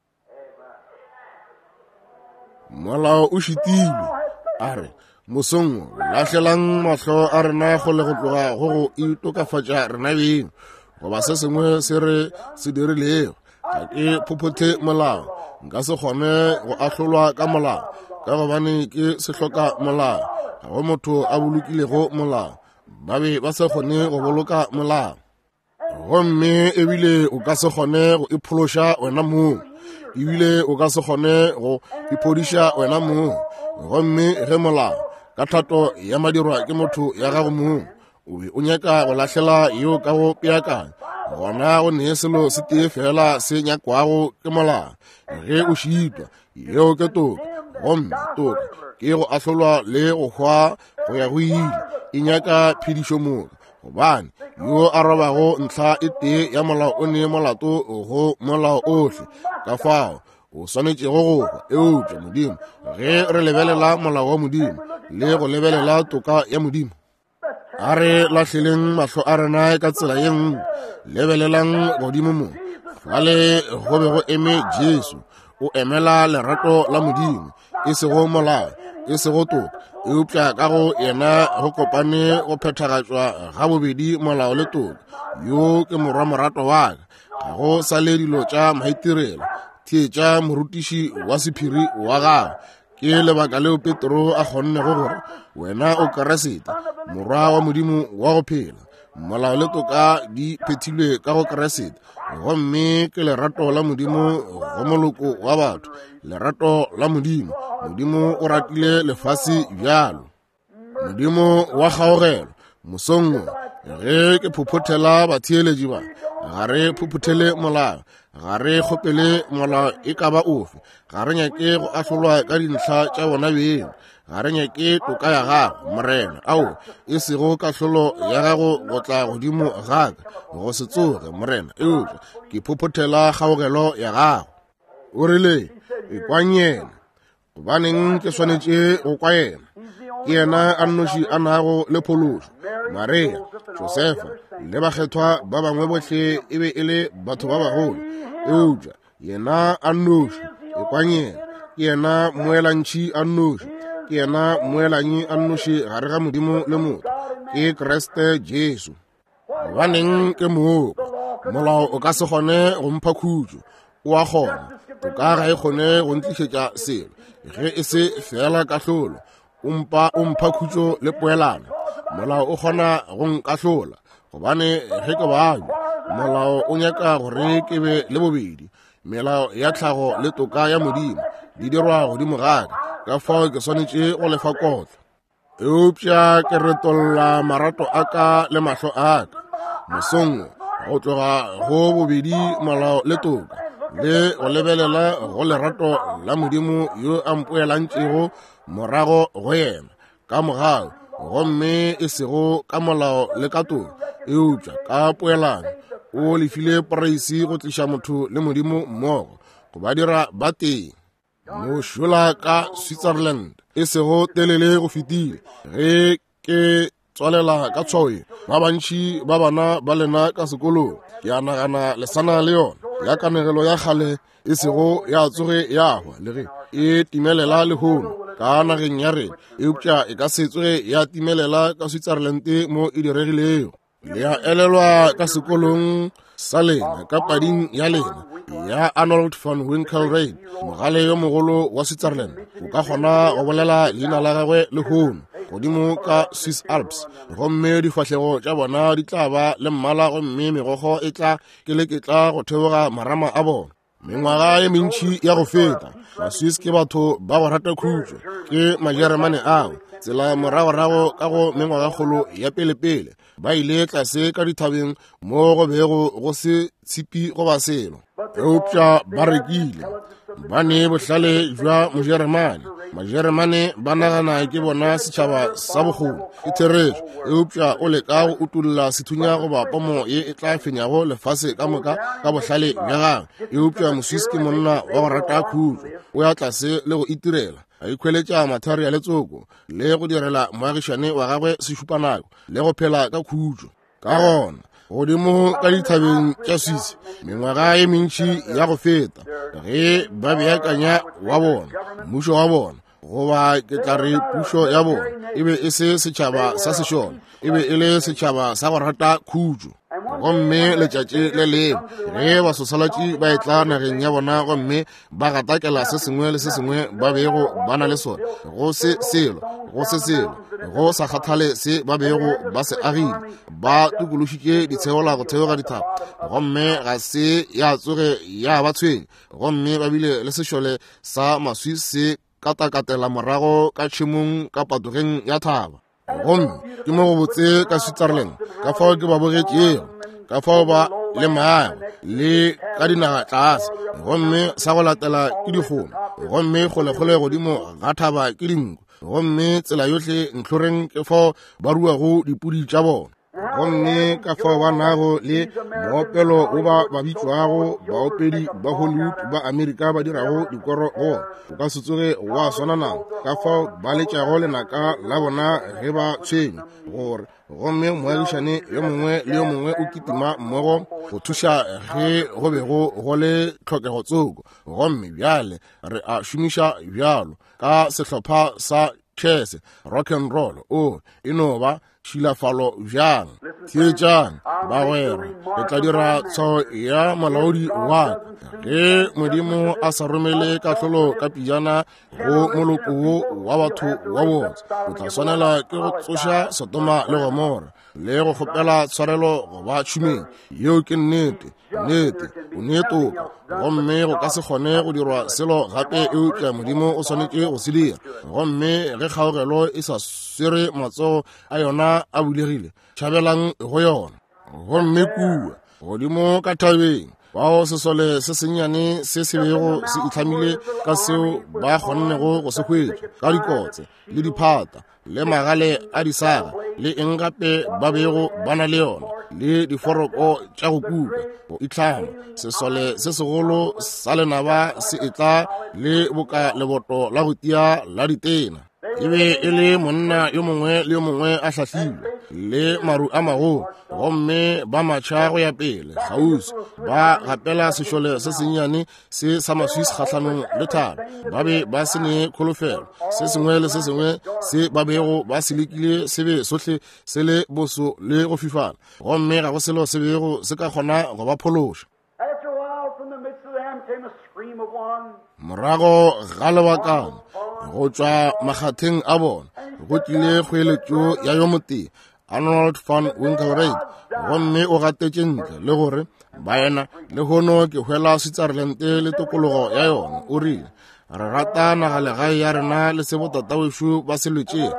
Molao o šitilwe. A re, mosong lahlelang mahlo a rena kgole go tloga go go itokafatša rena beng goba se sengwe se re se dirilego. Ga ke phophothe molao, nka se kgone go ahlolwa ka molao ka gobane ke se hloka molao. Ga go motho a bolokilego molao, ba be ba se kgone go boloka molao, gomme ebile o ka se kgone go iphološa wena mong, ebile o ka se kgone go iphodiša wena mong. Gomme ge molao ka thato ya madirwa ke motho ya gago mong o be o nyaka go lahlela yeo ka go peakanya, gona go nee selo se tee fela se nyakwago ke molao. Ge o šitwa, yeo ke toka, gomme toka ke go ahlolwa le go hwa go ya go ile. E nyaka phedišo moka, gobane yo a robago ntlha e tee ya molao o nee molato go molao ohle. Ka fao o swanetšego go hwa. Eupša Modimo, ge re lebelela molao wa Modimo le go lebelela toka ya Modimo, a re lahleleng mahlo a rena ka tsela ye nngwe. Lebelelang godimo mo, fale go be go eme Jesu. O emela lerato la Modimo, e sego molao, e sego toka, eupša ka go yena go kopane go phethagatšwa ga bobedi molao le toka. Yo ke morwa morato wa ka. Ga go sa le dilo tša maitirelo. Theetša morutiši wa sephiri wa gagwe. Ke lebaka leo Petro a kgonnego gore wena o Keresete, morwa wa Modimo wa go phela. Molao le toka di phethilwe ka go Keresete, gomme ke lerato la Modimo go moloko wa batho. Lerato la Modimo. Modimo o ratile lefase bjalo. Modimo wa kgaogelo, mosong wo Ge ke phophothela batheeletši ba, ga re phophothele molao, ga re kgopele molao e ka ba ofe, ga re nyake go ahlolwa ka dintlha tša bona beng, ga re nyake toka ya gago, Morena, ao e sego kahlolo ya gago go tla godimo ga ka, go se tsoge, Morena, eupša ke phophothela kgaogelo ya gago. O rile, ekwang yena. Gobaneng ke swanetše go kwa yena? Ke yena a nnoši a nago le phološo. Maria, Josefa le bakgethwa ba bangwe bohle e be e le batho ba bagolo, eupša yena a nnoši, ekwang yena. Ke yena moelantšhi a nnoši, ke yena moelanyi a nnoši gare ga Modimo le motho, ke Kriste Jesu. Gobaneng ke mooko? Molao o ka se kgone go mpha khutšo, o a kgona. Toka ga e kgone go ntlišetša selo, ge e se fela kahlolo. O mpa o mpha khutšo le poelano. Molao o kgona go nkahlola, gobane ge ke babja, molao o nyaka gore ke be le bobedi. Melao ya tlhago le toka ya Modimo di dirwa godimo ga ka, ka fao ke swanetše go lefa kotlo. Eupša ke retolla marato a ka le mahlo a ka mosong go tloga go bobedi molao le toka, le go lebelela go lerato la Modimo yo a mpoelantšego morago go yena ka mogau, gomme e sego ka molao le ka toka, eupša ka poelano. O lefile poreisi go tliša motho le Modimo mmogo, go ba dira ba tee. Mošola ka Switzerland e sego telele go fetile, ge ke tswalela ka tshwao ye, ba bantši ba bana ba lena ka sekolong, ke a nagana le sana le yona ya kanegelo ya kgale e sego ya tsoge ya hwa, le ge e timelela lehono ka nageng ya rena, eupša e ka se tsoge ya timelela ka Switzerland mo e diregilego. Le a elelwa ka sekolong sa lena, ka pading ya lena ya Arnold von Winkelried, mogale yo mogolo wa Switzerland. O ka kgona go bolela leina la gagwe lehono godimo ka Swiss Alps, gomme difahlego tša bona di tla ba le mmala, gomme megokgo e tla keleketla go theoga marama a bona. Mengwaga ye mentši ya go feta, Baswiss ke batho ba go rata khutšo, ke Majeremane ao tsela moragorago ka go mengwagakgolo ya pelepele ba ile tlase ka dithabeng mo go bego go se tshipi goba selo, eupša ba rekile. Ba ne bohlale bja Mojeremane. Majeremane ba nagana ke bona setšhaba sa bokgoni, ke therešo, eupša o leka go utolla sethunya goba pomo ye e tla fenyago lefase ka moka ka bohlale bja gagwe. Eupša Moswiss ke monna wa go rata khutšo, o ya tlase le go itirela, a ikhweletša mathari a letsoko le go direla moagišane wa gagwe sešupanako le go phela ka khutšo. Ka gona godimo ka dithabeng tša Swiss mengwaga ye mentši ya go feta, ge ba beakanya wa bona mmušo wa bona, goba ke tla re pušo ya bona, e be e se setšhaba sa sešole, e be e le setšhaba sa go rata khutšo. Gomme letšatši le lengwe ge basosalatši ba etla nageng ya bona gomme ba gatakela se sengwe le se sengwe ba bego ba na le sona, go se selo, go se selo, go sa kgathale se ba bego ba se agile, ba tokološitše ditsheola go theoga dithaba, gomme ga se ya tsoge ya ba tshwenya. Gomme ba bile le sešole sa Maswiss se katakatela morago ka tšhemong ka patogeng ya thaba. Gomme ke mo go botse ka Switzerland, ka fao ke ba bogetšego, ka fao ba le maago le ka dinaga tlase, gomme sa go latela ke dikgomo, gomme kgolekgole godimo ga thaba ke dinku, gomme tsela yohle ntlhoreng ke fao ba ruago dipudi tša bona. Gomme ka fao ba nago le moopelo wo ba ba bitšwago baopedi ba Hollywood ba Amerika ba dirago dikoro go ona, o ka se tsoge wa swana nabo. Ka fao ba letšago lenaka la bona ge ba tshwenywa gore, gomme moagišane yo mongwe le yo mongwe o kitima mmogo go thuša ge go bego go le tlhokego tsoko. Gomme bjale re a šomiša bjalo ka sehlopha sa chess, rock and roll, o e no ba tšhilafalo bjang. Theetšang bagwera, ke tla dira tshwao ya molaodi wa ka ge Modimo a sa romele kahlolo ka pejana go moloko wo wa batho wa botse, o tla swanela ke go tsoša Sodoma le Gomora le go kgopela tshwarelo go ba tšhumeng. Yeo ke nnete, nnete. O ne toka, gomme go ka se kgone go dirwa selo gape eupša Modimo o swanetše go se dira. Gomme ge kgaogelo e sa swere matsogo a yona a bulegile, tšhabelang go yona. Gomme kua godimo ka thabeng, bao sesole se sennyane se se bego se itlhamile ka seo ba kgonnego go se hwetša ka dikotse le diphata le magale a disaga le eng gape ba bego ba na le yona le diforoko tša go kuka go itlhama. Sesole se segolo sa lenaba se etla le boka leboto la go tia la ditena. E be e le monna yo mongwe le yo mongwe a hlahlilwe le maru a magolo, gomme ba matšha go ya pele kgauswi ba gapela sešole se sennyane se sa Maswiss kgahlanong le thaba. Ba be ba se ne kholofelo. Se sengwe le se sengwe se ba bego ba se lekile se be sohle se le boso le go fifala, gomme ga go selo se bego se ka kgona go ba phološa. Morago ga lebakana go tšwa makgatheng a bona go tlile kgoeletšo ya yo motee, Arnold van Winkelried, gomme o gatetše ntle le gore, baena, lehono ke hwela Switzerland le tokologo ya yona. O rile, re rata nagalegae ya rena le se botatawešo ba se lwetšego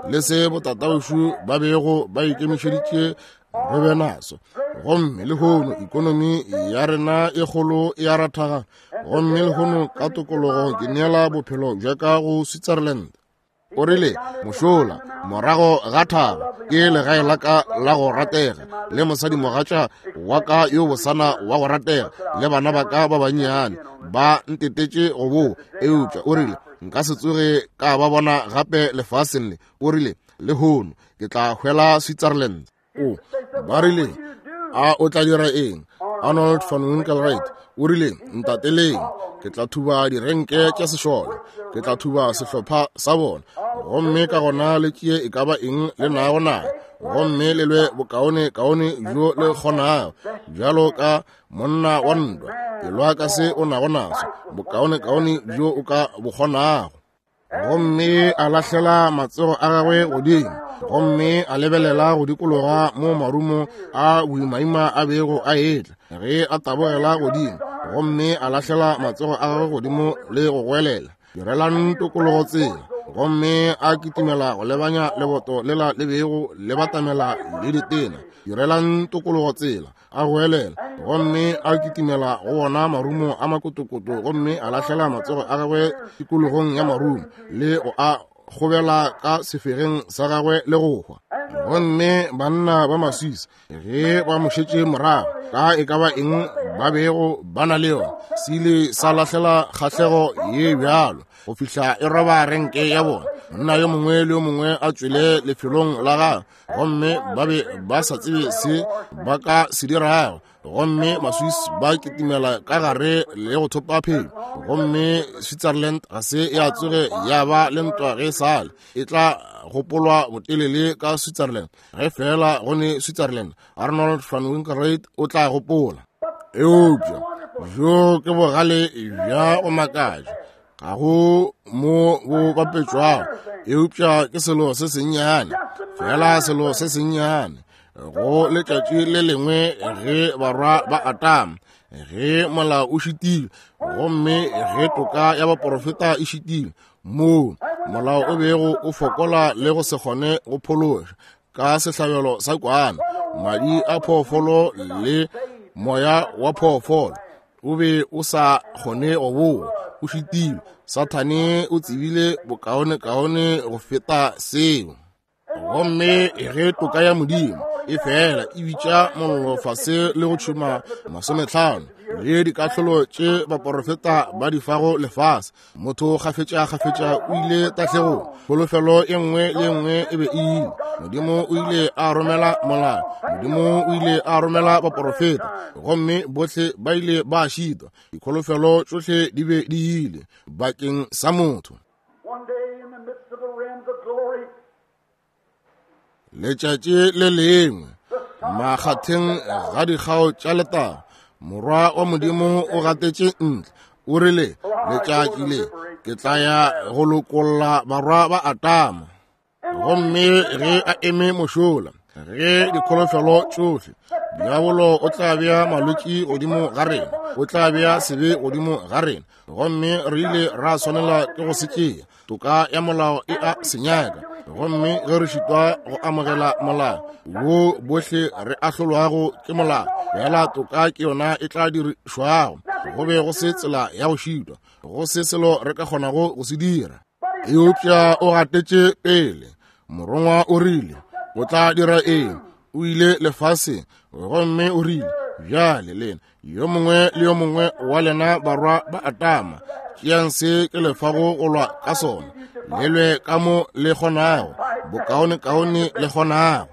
le se botatawešo ba bego ba ikemišeditše re be naso. Gomme lehono ikonomi ya rena e kgolo e a rathaga, gomme lehono ka tokologo ke neela bophelo bja ka go Switzerland. O rile, mošola morago ga thaba ke legae la ka la go ratega le mosadimogatša wa ka yo bosana wa go ratega le bana ba ka ba bannyane ba ntetetše go boa. Eupša o rile, nka se tsoge ka ba bona gape lefaseng le. O rile, lehono ke tla hwela Switzerland. O ba rile, a o tla dira eng? Arnold van Winkelried o rile, ntateleng, ke tla thuba direnke tša sešole, ke tla thuba sehlopha sa bona, gomme ka gona le tšee e ka ba eng le nago nayo, gomme le lwe bokaone kaone bjo le kgonago. Bjalo ka monna wa ntwa, elwa ka se o nago naso, bokaone kaone bjo o ka bo kgonago. Gomme a lahlela matsogo a gagwe godimo, gomme a lebelela go dikologa mo marumo a boimaima a bego a etla ge a tabogela godimo, gomme a lahlela matsogo a gagwe godimo le go goelela, direlang tokologo tsela. Gomme a kitimela go lebanya leboto lela le bego le batamela le ditena, direlang tokologo tsela, a goelela. Gomme a kitimela go bona marumo a makotokoto, gomme a lahlela matsogo a gagwe tikologong ya marumo le go a kgobela ka sefegeng sa gagwe le go hwa. Gomme banna ba Maswiss ge ba mo šetše morago ka e ka ba eng ba bego ba na le yona, se ile sa lahlela kgahlego ye bjalo go fihla e roba renke ya bona. Monna yo mongwe le yo mongwe a tšwele lefelong la gagwe, gomme ba be ba sa tsebe se ba ka se dirago. Gomme Maswiss ba kitimela ka gare le go thopa phenyo, gomme Switzerland ga se ya tsoge ya ba le ntwa ge sale. E tla gopolwa botelele ka Switzerland. Ge fela go ne Switzerland, Arnold van Winkelried o tla gopola. Eupša bjo ke bogale bja go makatša, ga go mo bo bapetšwago, eupša ke selo se sennyane, fela selo se sennyane. Go letšatši le lengwe ge barwa ba Atama, ge molao o šitile, gomme ge toka ya baporofeta e šitile, moo molao o bego o fokola le go se kgone go phološa ka sehlabelo sa kwana, madi a phoofolo le moya wa phoofolo o be o sa kgone go boa, o šitile. Sathane o tsebile bokaonekaone go feta seo. Gomme ge toka ya Modimo e fela e bitša mollo fase le go tšhuma masometlhano le dikahlolo tše baporofeta ba di fago lefase, motho kgafetša-kgafetša o ile tahlegong. Kholofelo e nngwe le nngwe e be e ile. Modimo o ile a romela molao, Modimo o ile a romela baporofeta, gomme bohle ba ile ba šitwa. Dikholofelo tšohle di be di ile bakeng sa motho. Letšatši le lengwe makgatheng ga dikgao tša letago, morwa wa Modimo o gatetše ntle. O rile, letšatši le ke tla ya go lokolla barwa ba Atama. Gomme ge a eme mošola, ge dikholofelo tšohle Diabolo o tla bea malwetši godimo ga rena, o tla bea sebe godimo ga rena, gomme re ile ra swanela ke go se tšea. Toka ya molao e a senyaka, gomme ge re šitwa go amogela molao wo bohle re ahlolwago ke molao, bjala toka ke yona e tla dirišwago. Go be go se tsela ya go šitwa, go se selo re ka kgonago go se dira. Eupša o gatetše pele. Morongwa o rile o tla dira eng? O ile lefaseng gomme o rile, bjale lena yo mongwe le yo mongwe wa lena barwa ba Adama, tšeang se ke lefago go lwa ka sona, le lwe ka mo le kgonago, bokaonekaone le kgonago.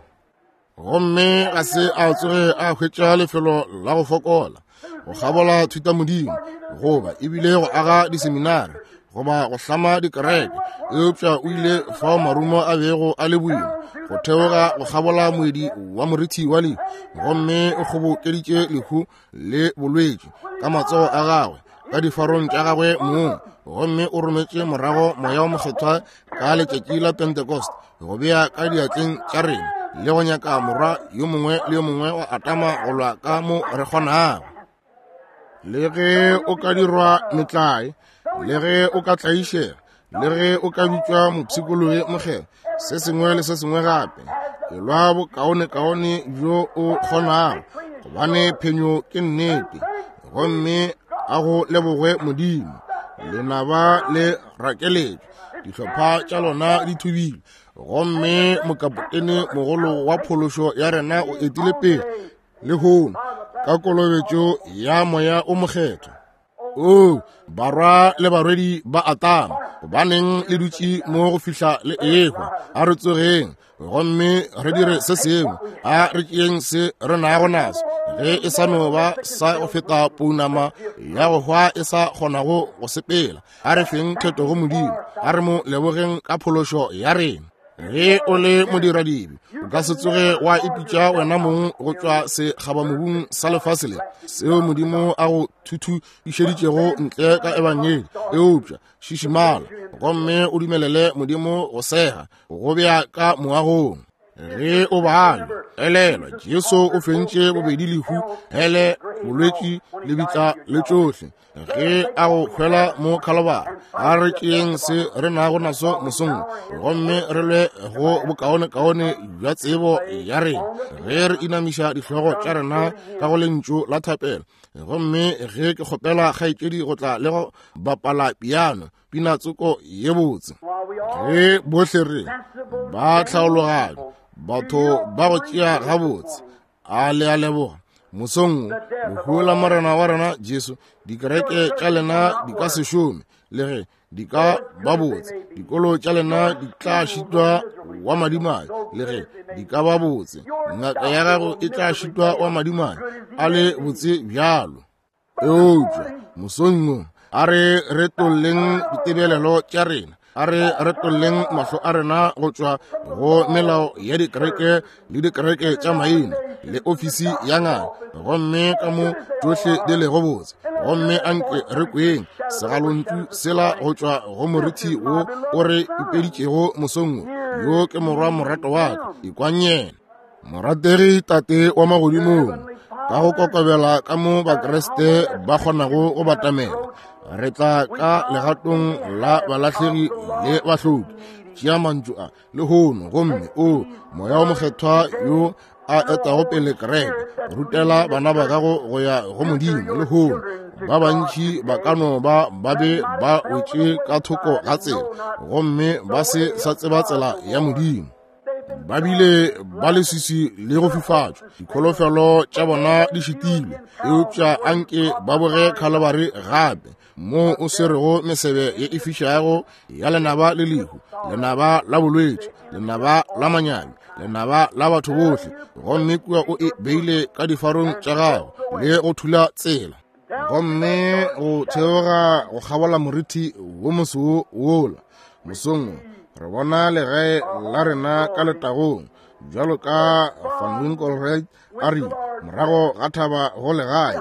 Gomme ga se a tsoge a hwetša lefelo la go fokola go kgabola thutamodimo, goba ebile go aga diseminari, goba go hlama dikereke, eupša o ile fao marumo a bego a le boima go theoga go kgabola moedi wa morithi wa lehu, gomme o kgobokeditše lehu le bolwetši ka matsogo a gagwe, ka difarong tša gagwe mong, gomme o rometše morago moya wa mokgethwa ka letšatši la Pentecost go bea ka diatleng tša rena le go nyaka morwa yo mongwe le yo mongwe wa Adama go lwa ka mo re kgonago. Le ge o ka dirwa metlae, le ge o ka tlaišega, le ge o ka bitšwa mopshikologi mokgethwa, se sengwe le se sengwe gape, elwa bokaonekaone bjo o kgonago, gobane phenyo ke nnete. Gomme a go lebogwe Modimo, lenaba le rakeletšwe, dihlopha tša lona di thubile, gomme mokapotene mogolo wa phološo ya rena o etile pele lehono ka kolobetšo ya moya o mokgethwa. O barwa le barwedi ba Adama, gobaneng le dutše mo go fihla le ehwa? A re tsogeng gomme re dire se sengwe, a re tšeeng se re nago naso, ge e sa no ba sa go feta pounama ya go hwa e sa kgonago go sepela. A re feng theto go Modimo, a re mo lebogeng ka phološo ya rena. Ge o le modiradibe, o ka se tsoge wa ipitša wena mong go tšwa sekgabamobung sa lefase le seo Modimo a go thuthupišeditšego ntle ka ebangedi, eupša šišimala gomme o dumelele Modimo go sega go bea ka moagong. Ge o bala, elelwa Jesu o fentše bobedi lehu, hele, bolwetši, lebitla le tšohle ge a go hwela mo Khalabari. A re tšeeng se re nago naso mosong, gomme re lwe go bokaonekaone bja tsebo ya rena, ge re inamiša dihlogo tša rena ka go lentšu la thapelo. Gomme ge ke kgopela kgaetšedi go tla le go bapala piano, pina tsoko ye botse, ge bohle re ba tlhaologanyo, batho ba go tšea gabotse, a le a leboga mosong lehu la Morena wa rena Jesu. Dikereke tša lena di ka se šome, le ge di ka ba botse. Dikolo tša lena di tla šitwa wa madimabe, le ge di ka ba botse. Ngaka ya gago e tla šitwa wa madimabe, a le botse bjalo. Eupša mosong wo a re retolleng ditebelelo tša rena, a re retolleng mahlo a rena go tšwa go melao ya dikereke le dikereke tša maina le ofisi ya ngaka, gomme ka mo tšohle di lego botse. Gomme anke re kweng segalontšu sela go tšwa go morithi wo o re ipeditšego mosong wo, yo ke morwa morato wa ka, ikwang yena. Morategi Tate wa magodimong, ka go kokobela ka mo Bakriste ba kgonago go batamela, re tla ka legatong la balahlegi le bahloki. Tšea mantšu a lehono, gomme o moya wa mokgethwa yo a etago pele kereke, rutela bana ba gago go ya go Modimo lehono. Ba bantši ba ka no ba ba be ba wetše ka thoko ga tsela, gomme ba se sa tseba tsela ya Modimo. Ba bile ba leswiswi le go fifatšwa, dikholofelo tša bona di šitilwe. Eupša anke ba boge Khalabari gape, moo o swerego mesebe ye e fišago ya lenaba le lehu, lenaba la bolwetši, lenaba la manyami, lenaba la batho bohle, gomme kua o e beile ka difarong tša gago le go thula tsela. Gomme go theoga go kgabola morithi wo moso wola mosong, re bona legae la rena ka letagong, bjalo ka Van Winkelried a rile, morago ga thaba go legae,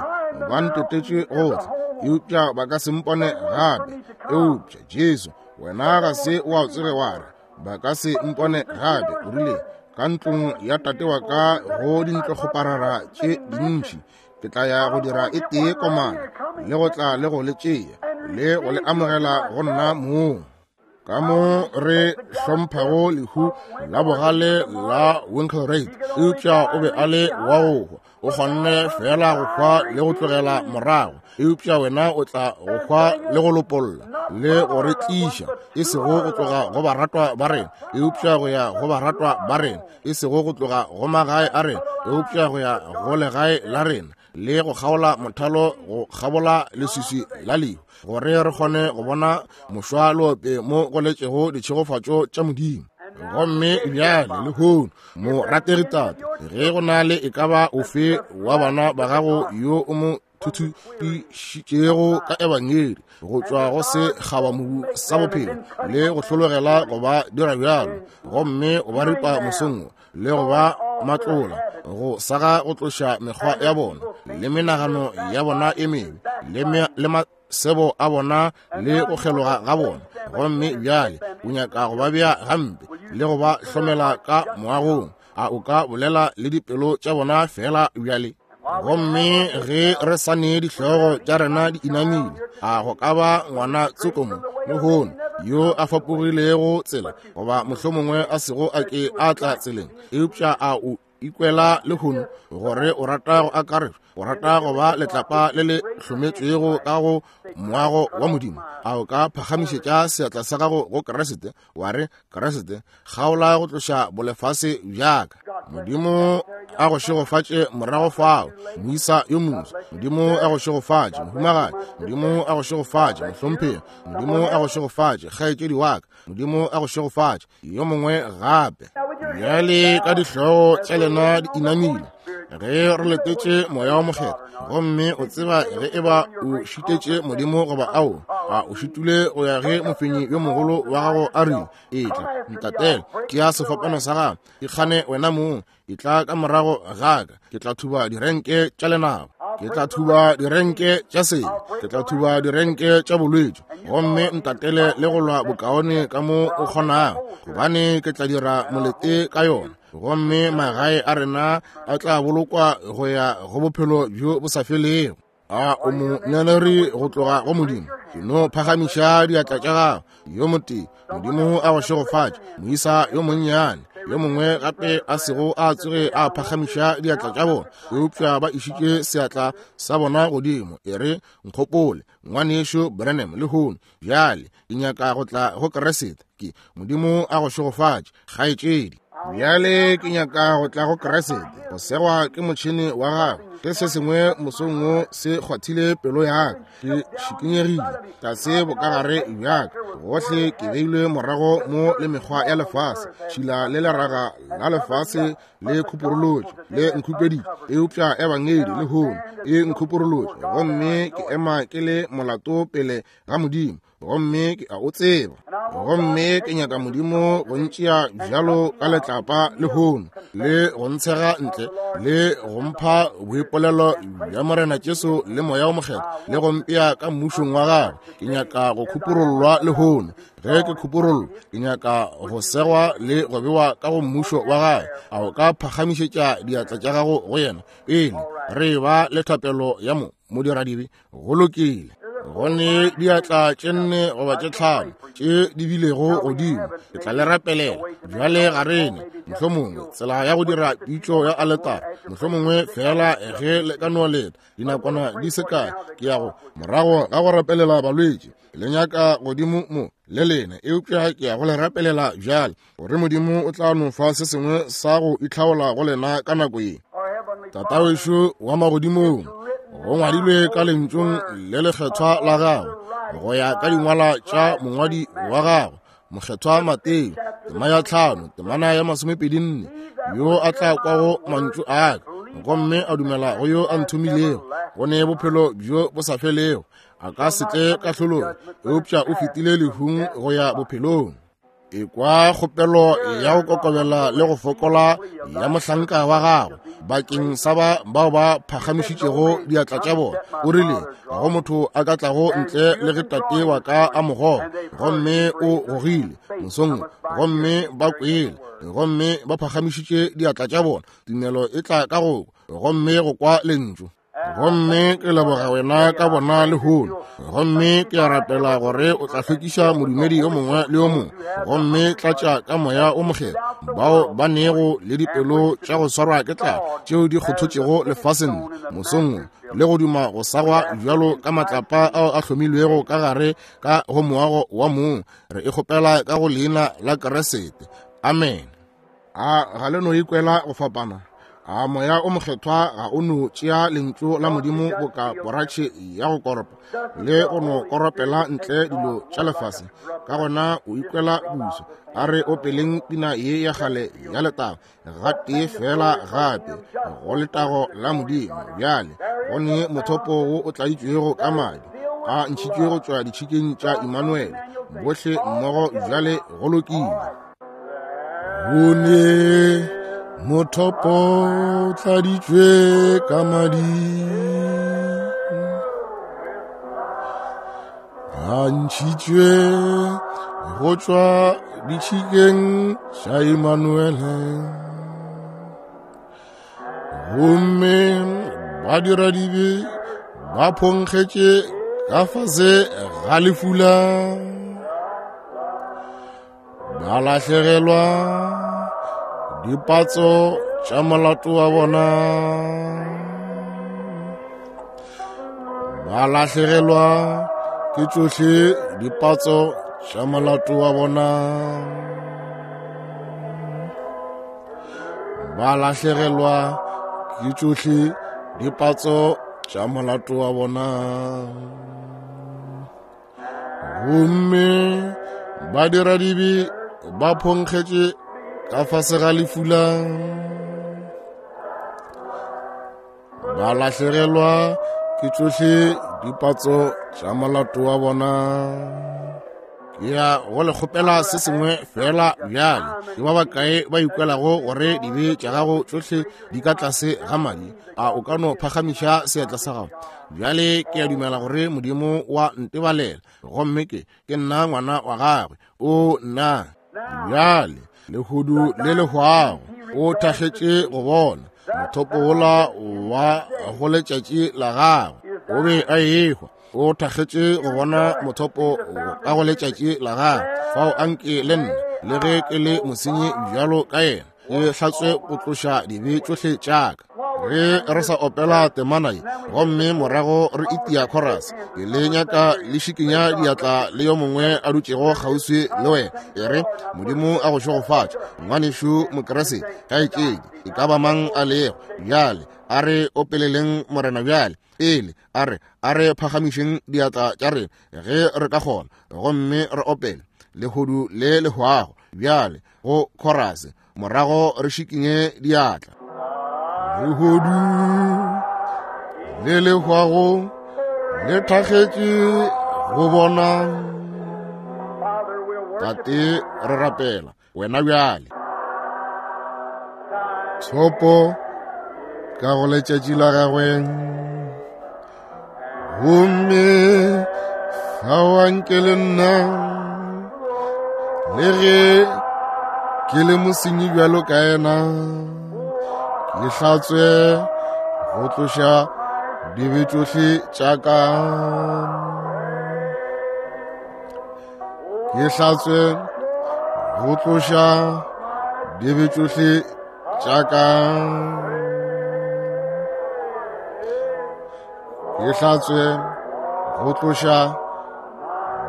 ba ntotetše gohle, eupša ba ka se mpone gape. Eupša Jesu, wena ga se wa tsoge wa re ba ka se mpone gape. O rile, Ka ntlong ya tate wa ka go dintlokgoparara tše dintši, ke tla ya go dira e tee komana, le go tla le go le tšea, le go le amogela go nna mong. Ka mo re hlomphago lehu la bogale la Winkelried, eupša o be a le wa go hwa. O kgonne fela go hwa le go tlogela morago, eupša wena o tla go hwa le go lopolla le go re tliša, e sego go tloga go baratwa ba rena, eupša go ya go baratwa ba rena, e sego go tloga go magae a rena, eupša go ya go legae la rena, le go kgaola mothalo go kgabola leswiswi la lehu, gore re kgone go bona mošwalope mo go letšego ditšhegofatšo tša Modimo. Gomme bjale lehono, morategi tate, ge go na le e ka ba ofe wa bana ba gago yo o mo thuthupišitšego ka ebangedi go tšwa go se kgabamobu sa bophelo le go hlologela go ba dira bjalo, gomme o ba ripa mosong le go ba matlola go saga go tloša mekgwa ya bona le menagano ya bona e mebe le, le masebo a bona le go kgeloga ga bona, gomme bjale o nyaka go ba bea gampe le go ba hlomela ka moagong, a o ka bolela le dipelo tša bona fela bjale? Gomme ge re sa ne dihlogo tša rena di inamile, a go ka ba ngwana tsokomo lehono yo a fapogilego tsela, goba mohlomongwe a sego a ke a tla tseleng, eupša a o ikwela lehono gore o rata go akaretšwa, o rata go ba letlapa le le hlometšwego ka go moago wa Modimo, a o ka phagamišetša seatla sa gago go Kriste, wa re, Kriste, kgaola go tloša bolefase bjaka. Modimo a go šegofatše morago fao, moisa yo moswa. Modimo a go šegofatše, mohumagadi. Modimo a go šegofatše, mohlomphegi. Modimo a go šegofatše, kgaetšedi wa ka. Modimo a go šegofatše, yo mongwe gape. Bjale ka dihlogo tša lena di inamile, ge re letetše Moya wa Mokgethwa, gomme o tseba ge e ba o šitetše Modimo goba ao, a o šitule go ya ge mofenyi yo mogolo wa gago a rile, etla ntatele, tšea sefapano sa gago, ikgane wena mong, etla ka morago ga ka, ke tla thuba direnke tša lenaba, ke tla thuba direnke tša sebe, ke tla thuba direnke tša bolwetši, gomme ntatele le go lwa bokaone ka mo o kgonago, gobane ke tla dira molete ka yona, gomme magae a rena a tla bolokwa go ya go bophelo bjo bo sa felego. A o mo nyaneri go tloga go Modimo? Ke no phagamiša diatla tša gago. Yo motee, Modimo a go šegofatše, moisa yo monnyane. Yo mongwe gape a sego a tsoge a phagamiša diatla tša bona, eupša ba išitše seatla sa bona godimo. E re, nkgopole, ngwanešo Branham, lehono bjale ke nyaka go tla go Kriste. Ke Modimo a go šegofatše, kgaetšedi. Bjale ke nyaka go tla go Kriste, go segwa ke motšhene wa gagwe. Ge se sengwe mosong wo se kgwathile pelo ya ka, ke šikinyegile tlase bokagare bjaka, gohle ke beilwe morago mo le mekgwa ya lefase, tšhila le leraga la lefase le khuporolotše le nkhupeditše, eupša ebangedi lehono e nkhuporolotše, gomme ke ema ke le molato pele ga Modimo, gomme ke a o tseba. Gomme ke nyaka Modimo go ntšea bjalo ka letlapa lehono, le go ntshega ntle, le go mpha boipolelo bja Morena Jesu le Moya o Mokgethwa, le go mpea ka mmušong wa gagwe. Ke nyaka go khuporollwa lehono. Ge ke khuporollwa, ke nyaka go segwa le go bewa ka go mmušo wa gagwe. A o ka phagamišetša diatla tša gago go yena pele re ba le thapelo ya mo modiradibe? Go lokile. Go ne diatla tše nne goba tše tlhano tše di bilego godimo, ke tla le rapelela bjale. Ga rene mohlomongwe tsela ya go dira pitšo ya aletare, mohlomongwe fela ge le ka no leta dinakwana di se kae, ke ya go morago ga go rapelela balwetši le nyaka godimo mo le lena, eupša ke ya go le rapelela bjale, gore Modimo o tla no fa se sengwe sa go itlhaola go lena ka nako ye. Tatawešo wa magodimong, go ngwadilwe ka lentšung le lekgethwa la gago, go ya ka dingwala tša mongwadi wa gago Mokgethwa Mateo, tema ya tlhano, temana ya masomepedi nne, yo a tla kwago mantšu a ka gomme a dumela go yo a nthomilego, go ne bophelo bjo bo sa felego, a ka se tle kahlolong, eupša o fetile lehung go ya bophelong. Ekwa kgopelo ya go kokobela le go fokola ya mohlanka wa gago bakeng sa ba bao ba phagamišitšego diatla tša bona. O rile ga go motho a ka tlago ntle le ge tate wa ka a mo goga, gomme o gogile mosong, gomme ba kwele, gomme ba phagamišitše diatla tša bona. Tumelo e tla ka go gomme go kwa lentšu. Gomme ke leboga wena ka bona lehono, gomme ke a rapela gore o tla hlwekiša modumedi yo mongwe le yo mongwe, gomme tlatša ka moya o mokgethwa bao ba nego le dipelo tša go swarwa ke tlala tšeo di kgothotšego lefaseng mosong, le go duma go sagwa bjalo ka matlapa ao a hlomilwego ka gare ka go moago wa mong. Re e kgopela ka go leina la Keresete, amen. A ga le no ikwela go fapana? A moya o mokgethwa ga o no tšea lentšu la Modimo boka poratšhe ya go koropa le go no koropela ntle dilo tša lefase? Ka gona o ikwela buso. A re opeleng pina ye ya kgale ya letago gatee fela gape go letago la Modimo. Bjale go ne mothopo wo o tladitšwego ka madi a ntšhitšwe go tšwa ditšhikeng tša Immanuel. Bohle mmogo bjale, go lokile. Go ne mothopo o tladitšwe ka madi a ntšhitšwe go tšwa ditšhikeng tša Immanuel, gomme badiradibe ba phonkgetše ka fase ga lefula, ba lahlegelwa dipatso tša molato wa bona, ba lahlegelwa ke tšohle dipatso tša molato wa bona, ba lahlegelwa ke tšohle dipatso tša molato wa bona, gomme badiradibe ba phonkgetše ka fase ga lefula, ba lahlegelwa ke tšohle dipatso tša molato wa bona. Ke ya go le kgopela se sengwe fela bjale. Ke ba bakae ba ikwelago gore dibe tša gago tšohle di ka tlase ga madi? A o ka no phagamiša seatla sa gago? Bjale ke a dumela gore Modimo wa ntebalela, gomme ke ke nna ngwana wa gagwe. O nna bjale lehudu le lehwago o thakgetše go bona mothopo wola wa go letšatši la gagwe. O be a ehwa, o thakgetše go bona mothopo ka go letšatši la gagwe. Fao anke le nna, le ge ke le mosenyi bjalo ka yena, ke hlatswe go tloša dibe tšohle tša ka. Ge re sa opela temana ye gomme morago re itia chorus, ke le nyaka le šikinya diatla le yo mongwe a dutšego kgauswi le wena. E re, Modimo a go šegofatše, ngwanešu Mokeresete, kgaetšedi, e ka ba mang a lego. Bjale a re opeleleng Morena bjale. Pele a re a re phagamišeng diatla tša rena ge re ka kgona, gomme re opele lehodu le lehwago bjale go chorus, morago re šikinye diatla. Lehodu le lehwago le thakgetše go bona. Tate, re rapela wena bjale. Tshopo ka go letšatši la gagwe, gomme fao anke le nna, le ge ke le mosenyi bjalo ka yena, ke hlatswe go tloša dibe tšohle tša ka. Ke hlatswe go tloša dibe tšohle tša ka. Ke hlatswe go tloša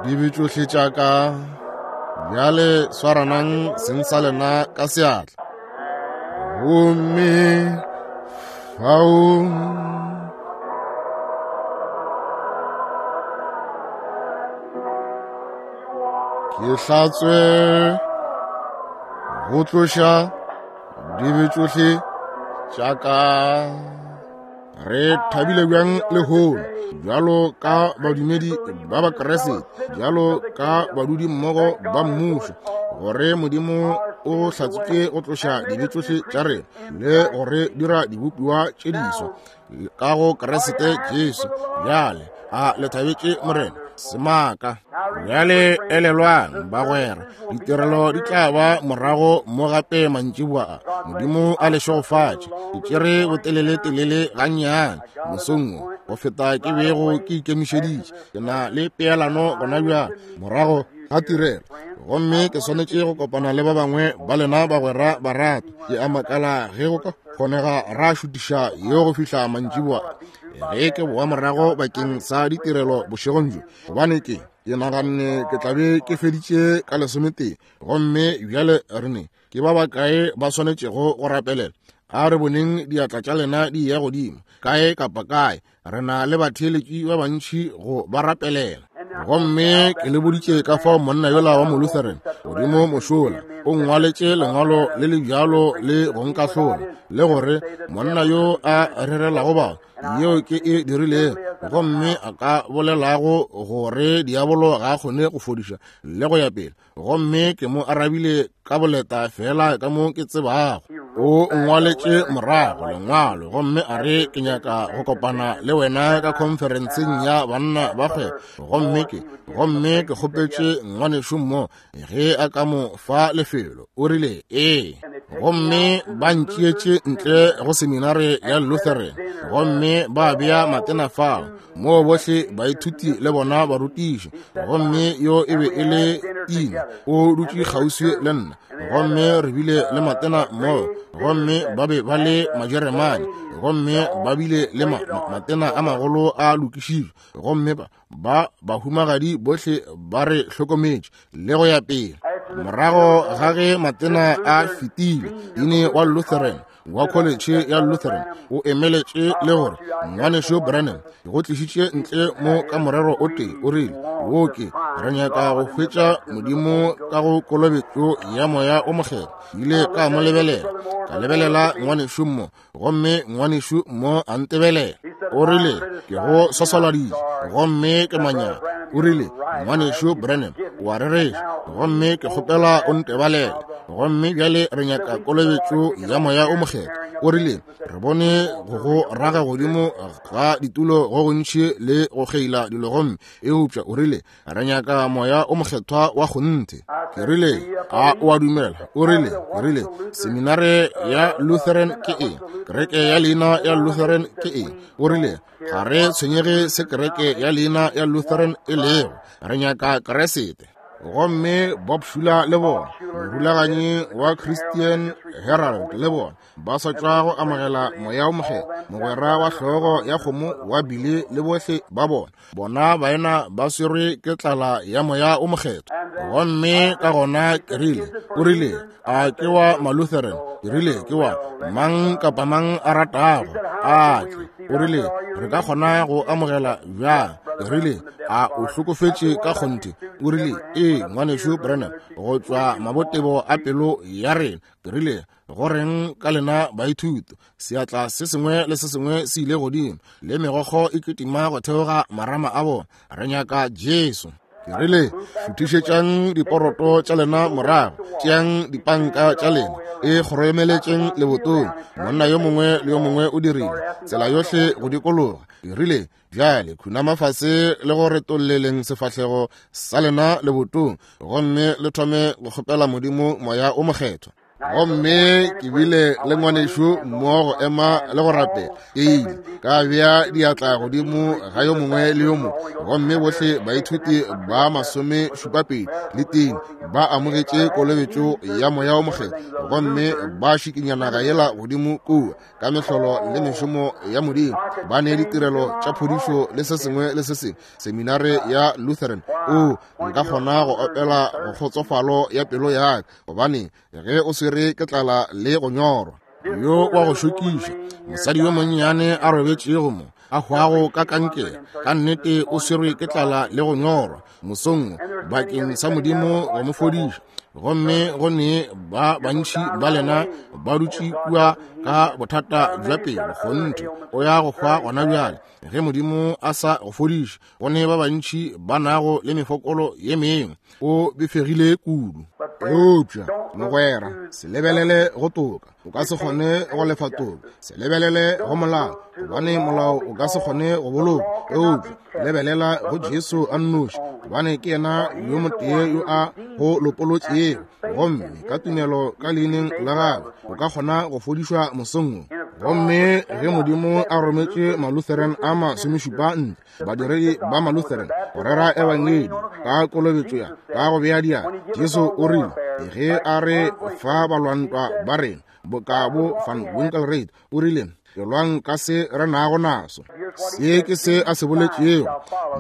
dibe tšohle tša ka. Bjale swaranang seng sa lena ka seatla, gomme fao ke hlatswe go tloša dibe tšohle tša ka. Re thabile bjang lehono bjalo ka badumedi ba Bakeresete, bjalo ka badudi mmogo ba mmušo, gore Modimo o hlatswitše go tloša dibe tšohle tša rena le gore dira dibopiwa tše diswa ka go Kriste Jesu. Bjale a le thabetše Morena semaka. Bjale elelwang bagwera, ditirelo di tla ba morago mo gape mantšiboa a. Modimo a le šegofatše. Ke tšere botelele-telele gannyane mosong wo go feta ke bego ke ikemišeditše. Ke na le peelano gona bjale morago ga tirelo, gomme ke swanetše go kopana le ba bangwe ba lena bagwera barato. Ke a makala ge go ka kgonega ra šutiša yo go fihla mantšiboa ge ke boa morago bakeng sa ditirelo bošegong bjo, gobane ke ke naganne ke tla be ke feditše ka lesometee. Gomme bjale re ne ke ba bakae ba swanetšego go rapelela? A re boneng diatla tša lena di ya godimo kae kapa kae. Re na le batheeletši ba bantši go ba rapelela. Gomme ke le boditše ka fao monna yola wa Molutheran godimo mošola o ngwaletše lengwalo le le bjalo le go nkahlola, le gore monna yo a rerelago batho yeo ke e dirilego, gomme a ka bolelago gore diabolo ga a kgone go fodiša le go ya pele. Gomme ke mo arabile ka boleta fela ka mo ke tsebago. O ngwaletše morago lengwalo gomme a re ke nyaka go kopana le wena ka khonferenseng ya banna ba kgwebo. Gomme ke gomme ke kgopetše ngwanešu mo ge a ka mo fa lefelo. O rile ee. Gomme ba ntšietše ntle go seminare ya Lutheran, gomme ba bea matena fao moo bohle baithuti le bona barutiši. Gomme yo e be e le Ina, o dutše kgauswi le nna, gomme re bile le matena moo, gomme ba be ba le Majeremane, gomme ba bile le ma, ma, matena a magolo a lokišitšwe, gomme ba ba bahumagadi bohle ba re hlokometše le go ya pele. Morago ga ge matena a fetile, ine wa Lutheran wa college ya Lutheran o emeletše le gore ngwanešu Branham go tlišitše ntle mo ka morero o tee. O rile wo ke re nyaka go hwetša Modimo ka go kolobetšo ya Moya o Mokgethwa. Ile ka mo lebelela, ka lebelela ngwanešu mo, gomme ngwanešu mo a ntebelela. O rile ke go swaswaladitše gomme ke manyaka. O rile ngwanešu Branham o a rereša, gomme ke kgopela o ntebalele. Gomme bjale re nyaka kolobetšo ya Moya o Mokgethwa. O rile re bone go go raga godimo ga ditulo go gontši le go kgeila dilo, gomme eupša o rile re nyaka Moya o Mokgethwa wa kgonthe. Ke rile a o a dumela? O rile ke rile seminare ya Lutheran ke eng? Kereke ya leina ya Lutheran ke eng? O rile ga re tshwenyege se kereke ya leina ya Lutheran e lego, re nyaka Kriste. Gomme Bob Schuler le bona, morulaganyi wa Christian Herald le bona, ba sa tšwa go amogela Moya o Mokgethwa, mogwera wa hlogo ya kgomo wa bile le bohle ba bona. Bona baena ba swerwe ke tlala ya Moya o Mokgethwa. Gomme ka gona ke rile, o rile a ke wa Malutheran? Ke rile ke wa mang kapa mang a ratago a tle. O rile re ka kgona go amogela bjang? Ke rile a o hlokofetše ka kgonthe? O rile ee ngwanešu Branham, go tšwa mabotebo a pelo ya rena. Ke rile go reng ka lena baithuti? Seatla se sengwe le se sengwe se ile godimo, le megokgo e kitima go theoga marama a bona. Re nyaka Jesu. Ke rile šuthišetšang diporoto tša lena morago, tšeang dipanka tša lena, e kgoromeletšeng lebotong. Monna yo mongwe le yo mongwe o dirile tsela yohle go dikologa. Ke rile bjale khunama fase le go retolleleng sefahlego sa lena lebotong, gomme le thome go kgopela Modimo Moya o Mokgethwa. Gomme ke bile le ngwanešu mmogo go ema le go rapela. Ke ile ka bea diatla godimo ga yo mongwe le yo mongwe, gomme bohle baithuti ba masome šupapedi le teng ba amogetše kolobetšo ya Moya o Mokgethwa, gomme ba šikinya naga yela godimo kua ka mehlolo le mešomo ya Modimo. Ba ne ditirelo tša phodišo le se sengwe le se sengwe. Seminare ya Lutheran, o nka kgona go opela go kgotsofalo ya pelo ya ka, gobane ge o swere ke tlala le go nyorwa. Yo wa go šokiša mosadi yo monnyane a robetšego mo a hwago ka kankere, ka nnete o swerwe ke tlala le go nyorwa mosong bakeng sa Modimo go mo fodiša. Gomme go ne ba bantši ba lena ba dutše kua ka bothata bja pelo, kgonthe o ya go hwa gona bjale ge Modimo a sa go fodiše. Go ne ba bantši ba nago le mefokolo ye mengwe, o befegile kudu. Eupša mogwera, se lebelele go toka, o ka se kgone go lefa toka. Se lebelele go molao, gobane molao o ka se kgone go boloka. Eupša lebelela go Jesu a nnoši, gobane ke yena yo motee yo a go lopolotšego, gomme ka tumelo ka leineng la gagwe o ka kgona go fodišwa mosong wo. Gomme ge Modimo a rometše Malutheran a masomešupa ntle, badiredi ba Malutheran, go rera ebangedi ka kolobetšo ya ka go bea diatla, Jesu o rile ge a re fa balwantwa ba rena boka bo Van Winkelried, o rile elwang ka se re nago naso. Se ke se a se boletšego: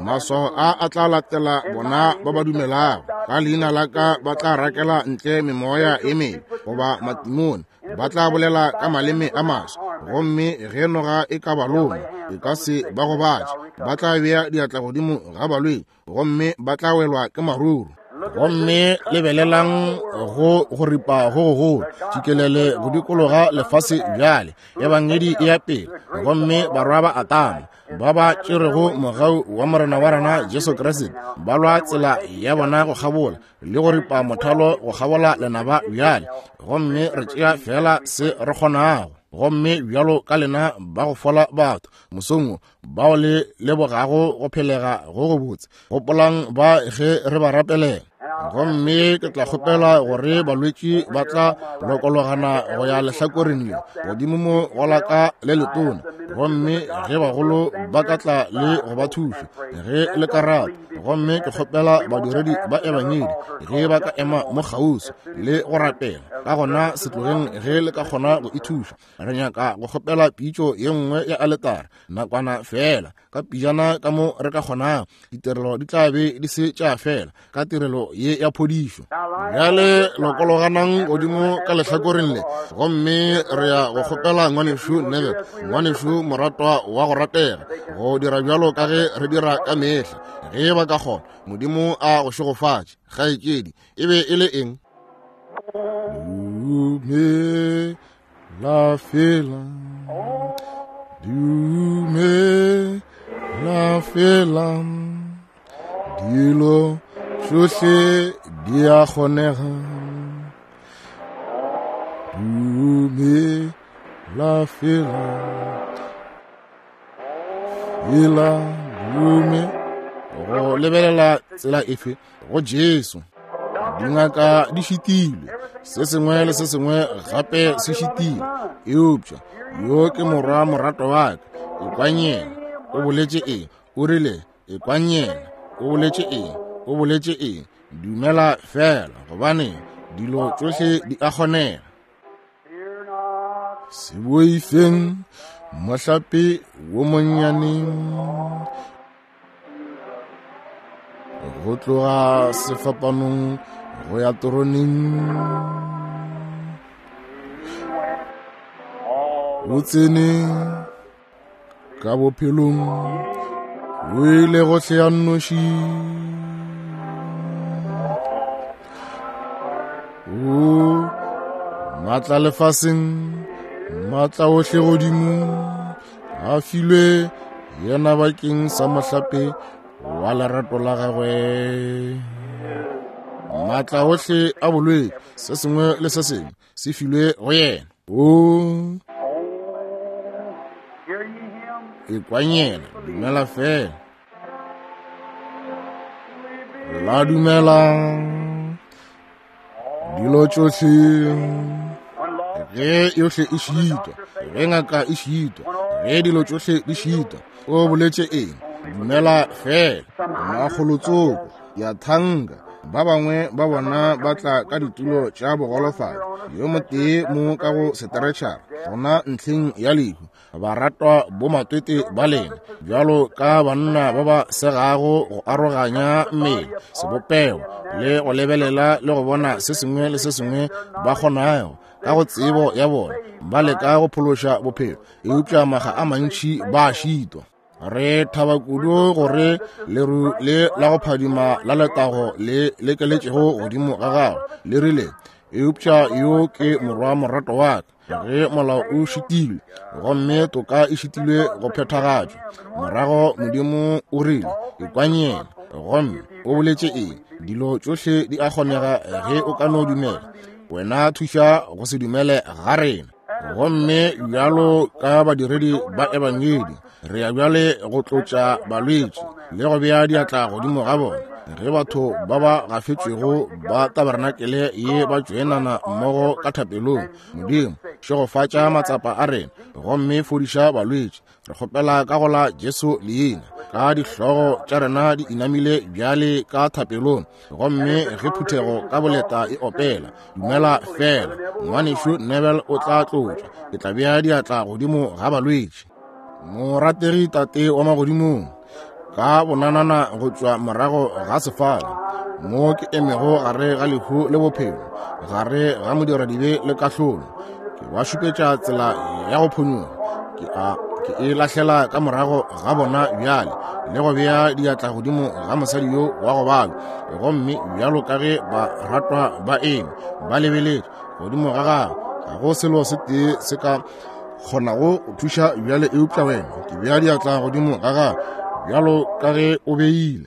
maswao a a tla latela bona ba ba dumelago, ka leina la ka ba tla rakela ntle memoya e mebe goba matimone, ba tla bolela ka maleme a maswa, gomme ge noga e ka ba loma e ka se ba gobatše, ba tla bea diatla godimo ga balwetši gomme ba tla welwa ke maruru. Gomme lebelelang go go ripa go gogolo tšikelele go dikologa lefase bjale, ebangedi e ya pele, gomme barwa ba Atama ba ba tšerego mogau wa Morena wa rena Jesu Kriste ba lwa tsela ya bona go kgabola le go ripa mothalo go kgabola lenaba bjale. Gomme re tšea fela se re kgonago. Gomme bjalo ka lena ba go fola batho mosong wo, bao le lebogago go phelega go go botse, gopolang ba ge re ba rapelela. Gomme ke tla kgopela gore balwetši ba tla lokologana go ya lehlakoreng le godimo mo go la ka le letona, gomme ge bagolo ba ka tla le go ba thuša ge le ka rata. Gomme ke kgopela badiredi ba ebangedi ge ba ka ema mo kgauswi le go rapela, ka gona se tlogeng ge le ka kgona go ithuša. Re nyaka go kgopela pitšo ye nngwe ya aletara nakwana fela, ka pijana ka mo re ka kgonago. Ditirelo di tla be di se tša fela ka tirelo ye ya phodišo. Bjale lokologanang godimo ka lehlakoreng le, gomme re ya go kgopela ngwanešu Neville, ngwanešu moratwa wa go ratega, go dira bjalo ka ge re dira ka mehla ge ba ka kgona. Modimo a go šegofatše. Kgaetšedi, e be e le eng? Dumela fela, dumela fela, dilo tšohle di a kgonega. Dumela fela, fela dume. Go lebelela tsela efe? Go Jesu. Dingaka di šitilwe, se sengwe le se sengwe gape se šitilwe, eupša yo ke morwa morato wa ka, ekwang yena. O boletše eng? O rile ekwang yena. O boletše eng? O boletše eng? Dumela fela, gobane dilo tšohle di a kgonega. Se boifeng mohlape wo monnyane, go tloga sefapanong go ya toroneng. O tsene ka bophelong, o ile gohle ya nnoši. O maatla lefaseng, maatla ohle godimo a filwe yena bakeng sa mohlape wa lerato la gagwe. Maatla ohle a bolwetši, se sengwe le se sengwe se filwe go yena. O ekwang yena, dumela fela. La dumela dilo tšohle ge yohle e šitwa, ge ngaka e šitwa, ge dilo tšohle di šitwa, o boletše eng? Dumela fela. Makgolotsoko ya thanka ba bangwe ba bona ba tla ka ditulo tša bogolofadi, yo motee mo ka go seteretšhara gona ntlheng ya lehu. Baratwa bomatwete ba lena bjalo ka banna ba ba segago go aroganya mmele sebopego le go lebelela le go bona se sengwe le se sengwe ba kgonago ka go tsebo ya bona, ba leka go phološa bophelo, eupša maga a mantši ba a šitwa. Re thaba kudu gore leru le la go phadima la letago le lekeletšego godimo ga gago le rile, eupša yo ke morwa morato wa ka. Ge molao o šitilwe gomme toka e šitilwe go phethagatšwa, morago Modimo o rile, ekwang yena. Gomme o boletše eng? Dilo tšohle di a kgonega ge o ka no dumela. Wena thuša go se dumele ga rena. Gomme bjalo ka badiredi ba ebangedi, re ya bjale go tlotša balwetši le go bea diatla godimo ga bona. Ge batho ba ba gafetšwego ba tabernakelé ye ba tšoenana mmogo ka thapelong, Modimo, šegofatša matsapa a rena gomme fodiša balwetši. Re kgopela ka go la Jesu leina, ka dihlogo tša rena di inamile bjale ka thapelong. Gomme ge phuthego ka boleta e opela, dumela fela, ngwanešu Neville o tla tlotšwa. Ke tla bea diatla godimo ga balwetši. Morategi Tate wa magodimong, ka bonanana go tšwa morago ga sefala, mo ke emego gare ga lehu le bophelo, gare ga modiradibe le kahlolo, ke ba šupetša tsela ya go phonyoga. Ke a ke e lahlela ka morago ga bona bjale, le go bea diatla godimo ga mosadi yo wa go balwa. Gomme bjalo ka ge ba ratwa ba eme ba lebeletše godimo ga gagwe, ga go selo se tee se ka kgonago go thuša bjale eupša wena. Ke bea diatla godimo ga gagwe bjalo ka ge o beile.